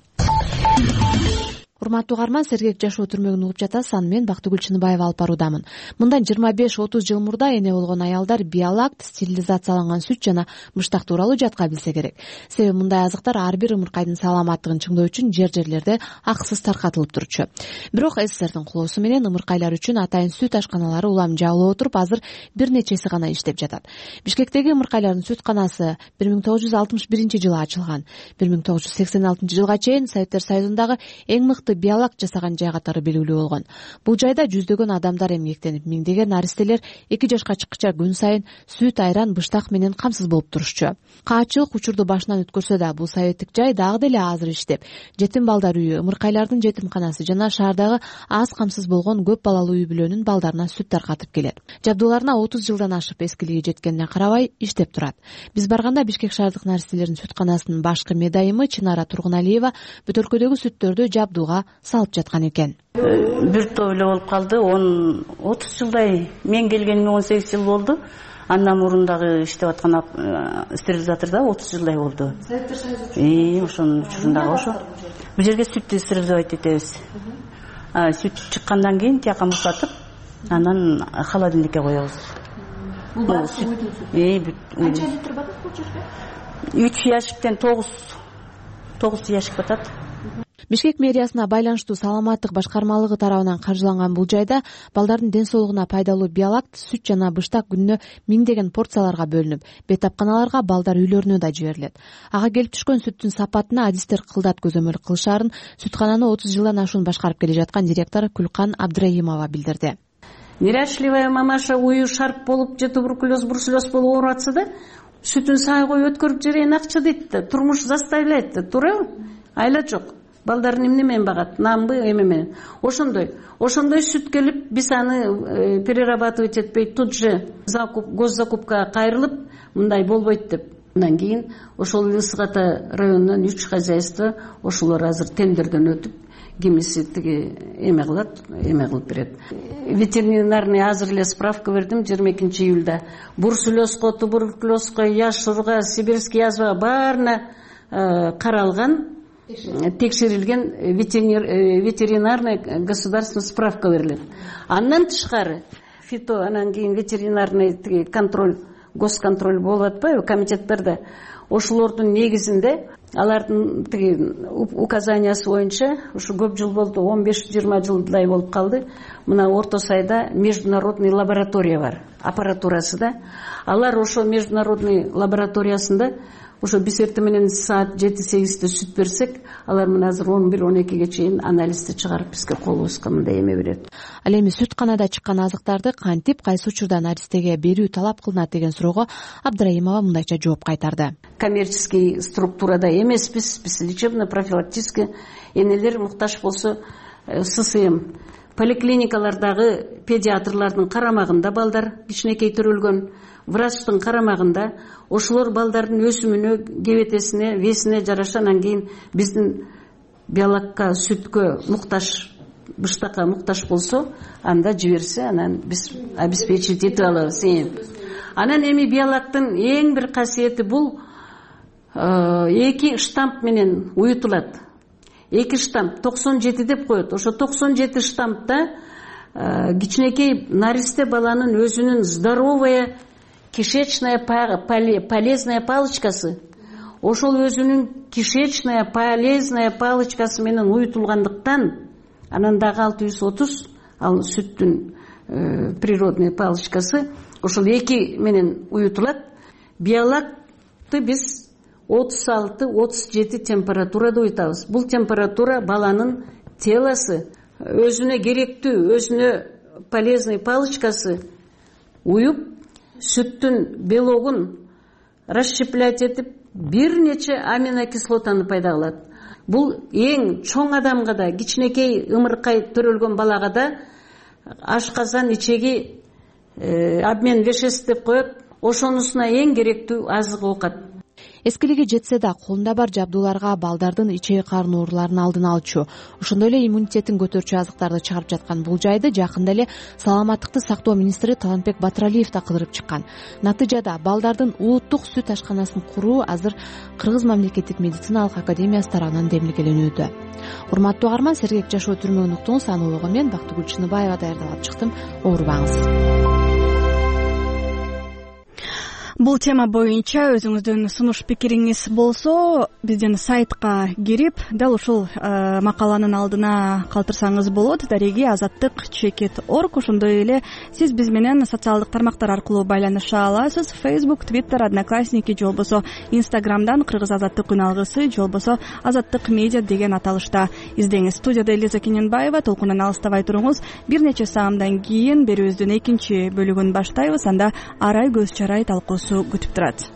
Урматтуу угарман, сергек жашоо түрмөгүн угуп жатасыз. Аны мен Бактыгүл Чыныбаева алып баруудамын. Мындан 25-30 жыл мурда эне болгон аялдар биолакт, стерилизацияланган сүт жана мыштак тууралуу жатка билсе керек. Себеби мындай азыктар ар бир ымыркайдын саламаттыгын чыңдоо үчүн жер-жерлерде акысыз таркатылып турчу. Бирок СССРдин кулоосу менен ымыркайлар үчүн атайын сүт ашканалары улам жабылып отуруп, азыр бир нечеси гана иштеп жатат. Бишкектеги ымыркайлардын сүтканасы 1961-жылы ачылган. 1986 жылга чейин Советтер Союзундагы эң мыкты биолакт жасаган жай катары белгилүү болгон. Бул жайда жүздөгөн адамдар эмгектенип, миңдеген наристелер 2 жашка чыккыча күн сайын сүт, айран, быштак менен камсыз болуп турушчу. Каатчылык учурду башынан өткөрсө да, бул советтик жай дагы деле азыр иштеп, жетим балдар үйү, ымыркайлардын жетимканасы жана шаардагы аз камсыз болгон көп балалуу үй бүлөнүн балдарына сүт таркатып келет. Жабдууларына 30 жылдан ашып эскилиги жеткенине карабай иштеп турат. Биз барганда Бишкек шаардык наристелердин сүтканасынын башкы медайымы Чынара Тургуналиева бөтөлкөдөгү сүттөрдү жабдууга салып жаткан экен. Бир топ эле болуп калды. 30 жылдай, мен келгениме 18 жыл болду. Андан мурун дагы иштеп аткан стерилизаторда 30 жылдай болду. Советтер Союзу ошонун учурундагы ошо. Бул жерге сүттү стерилизовать этебиз. Сүт чыккандан кийин тияка муздатып, анан холодильникке коебуз. Бул баасы уйдун сүтү. Канча литр батат бул жерге? 3 ящиктен 9 ящик батат. Бишкек мэриясына байланыштуу саламаттык башкармалыгы тарабынан каржыланган бул жайда балдардын ден соолугуна пайдалуу биолакт, сүт жана быштак күнүнө миңдеген порцияларга бөлүнүп, бейтапканаларга, балдар үйлөрүнө да жиберилет. Ага келип түшкөн сүттүн сапатына адистер кылдат көзөмөл кылышаарын сүткананы 30 жылдан ашуун башкарып келе жаткан директор Күлкан Абдраимова билдирди. Неряшливая мамаша уюу шарп болуп же туберкулез, бруцеллез болуп ооруп атса да, сүтүн сай коюп өткөрүп жиберейин акча дейт да, турмуш заставляет да, туурабы? Айла жок. Балдарын эмне менен багат? Намбы, эме менен. Ошондой сүт келип, биз аны перерабатывать этпей, тут же госзакупка кайрылып, мындай болбойт деп. Андан кийин ошол Ысык Ата районунан 3 хозяйство, ошолор азыр тендерден өтүп, кимиси тиги эме кылып берет. Ветеринарный азыр эле справка бердим 22 июлда. Бруцеллезго, туберкулезго, яшурга, сибирский язвага баарына каралган, текшерилген ветеринарный государственный справка берилет. Андан тышкары фито, анан кийин ветеринарный контроль, госконтроль болуп атпайбы комитеттерде. Ошолордун негизинде алардын указаниясы боюнча ушу көп жыл болду, 15-20 жылдай болуп калды. Мына Орто Сайда международный лаборатория бар, аппаратурасы да. Алар ошо международный лабораториясында ошо биз эртең менен саат 7-8-де сүт берсек, алар мына азыр 11-12ге чейин анализди чыгарып бизге колубузга мындай эме берет. Ал эми сүтканада чыккан азыктарды кантип, кайсы учурда наристеге берүү талап кылынат деген суроого Абдраимова мындайча жооп кайтарды. Коммерческий структурада эмеспиз, биз лечебно-профилактический энелер муктаж болсо ССМ. Поликлиникалардагы педиатрлардын карамагында балдар кичинекей төрөлгөн, врачтын карамагында ошолор балдардын өсүмүнө, кебетесине, весине жараша, анан кийин биздин биолакка, сүткө муктаж, быштакка муктаж болсо, анда жиберсе, анан биз обеспечить этип алабыз. Анан эми биолактын эң бир касиети бул 2 штамп менен уютулат. 2 штамп 97 деп коет. Ошо 97 штампта кичинекей наристе баланын өзүнүн здоровая кишечная полезная палочкасы ошол өзүнүн кишечная полезная палочкасы менен уютулгандыктан анан дагы 630 ал сүттүн природный палочкасы ошол эки менен уютулат. Биолактты биз 36-37 температурада уютабыз. Бул температура баланын телосы өзүнө керектүү, өзүнө полезный палочкасы уюп, сүттүн белогун расщеплять этип, бир нече аминокислотаны пайда кылат. Бул эң чоң адамга да, кичинекей ымыркай төрөлгөн балага да ашказан ичеги обмен веществ деп коет. Ошонусуна эң керектүү азык оокат. Эскилиги жетсе да колунда бар жабдууларга балдардын ичеги карын ооруларынын алдын алчу, ошондой эле иммунитетин көтөрчү азыктарды чыгарып жаткан бул жайды жакында эле саламаттыкты сактоо министри Талантбек Батыралиев да кыдырып чыккан. Натыйжада балдардын улуттук сүт ашканасын куруу азыр Кыргыз мамлекеттик медициналык академиясы тарабынан демилгеленүүдө. Урматтуу угарман, сергек жашоо түрмөгүн уктуңуз. Аны улугу мен Бактыгүл Чыныбаева даярдап чыктым. Оорубаңыз. Бул тема боюнча өзүңүздүн сунуш пикириңиз болсо, биздин сайтка кирип, дал ушул макаланын алдына калтырсаңыз болот. Дареги azattik.org. Ошондой эле сиз биз менен социалдык тармактар аркылуу байланыша аласыз. Facebook, Twitter, Одноклассники же болбосо Instagram'дан Кыргыз Азаттык күн алгысы же болбосо Азаттык медиа деген аталышта издеңиз. Студияда Элиза Кененбаева. Толкундан алыстабай туруңуз. Бир нече саамдан кийин берүүбүздүн экинчи бөлүгүн баштайбыз. Анда арай көз чарай талкуусу күтүп турат.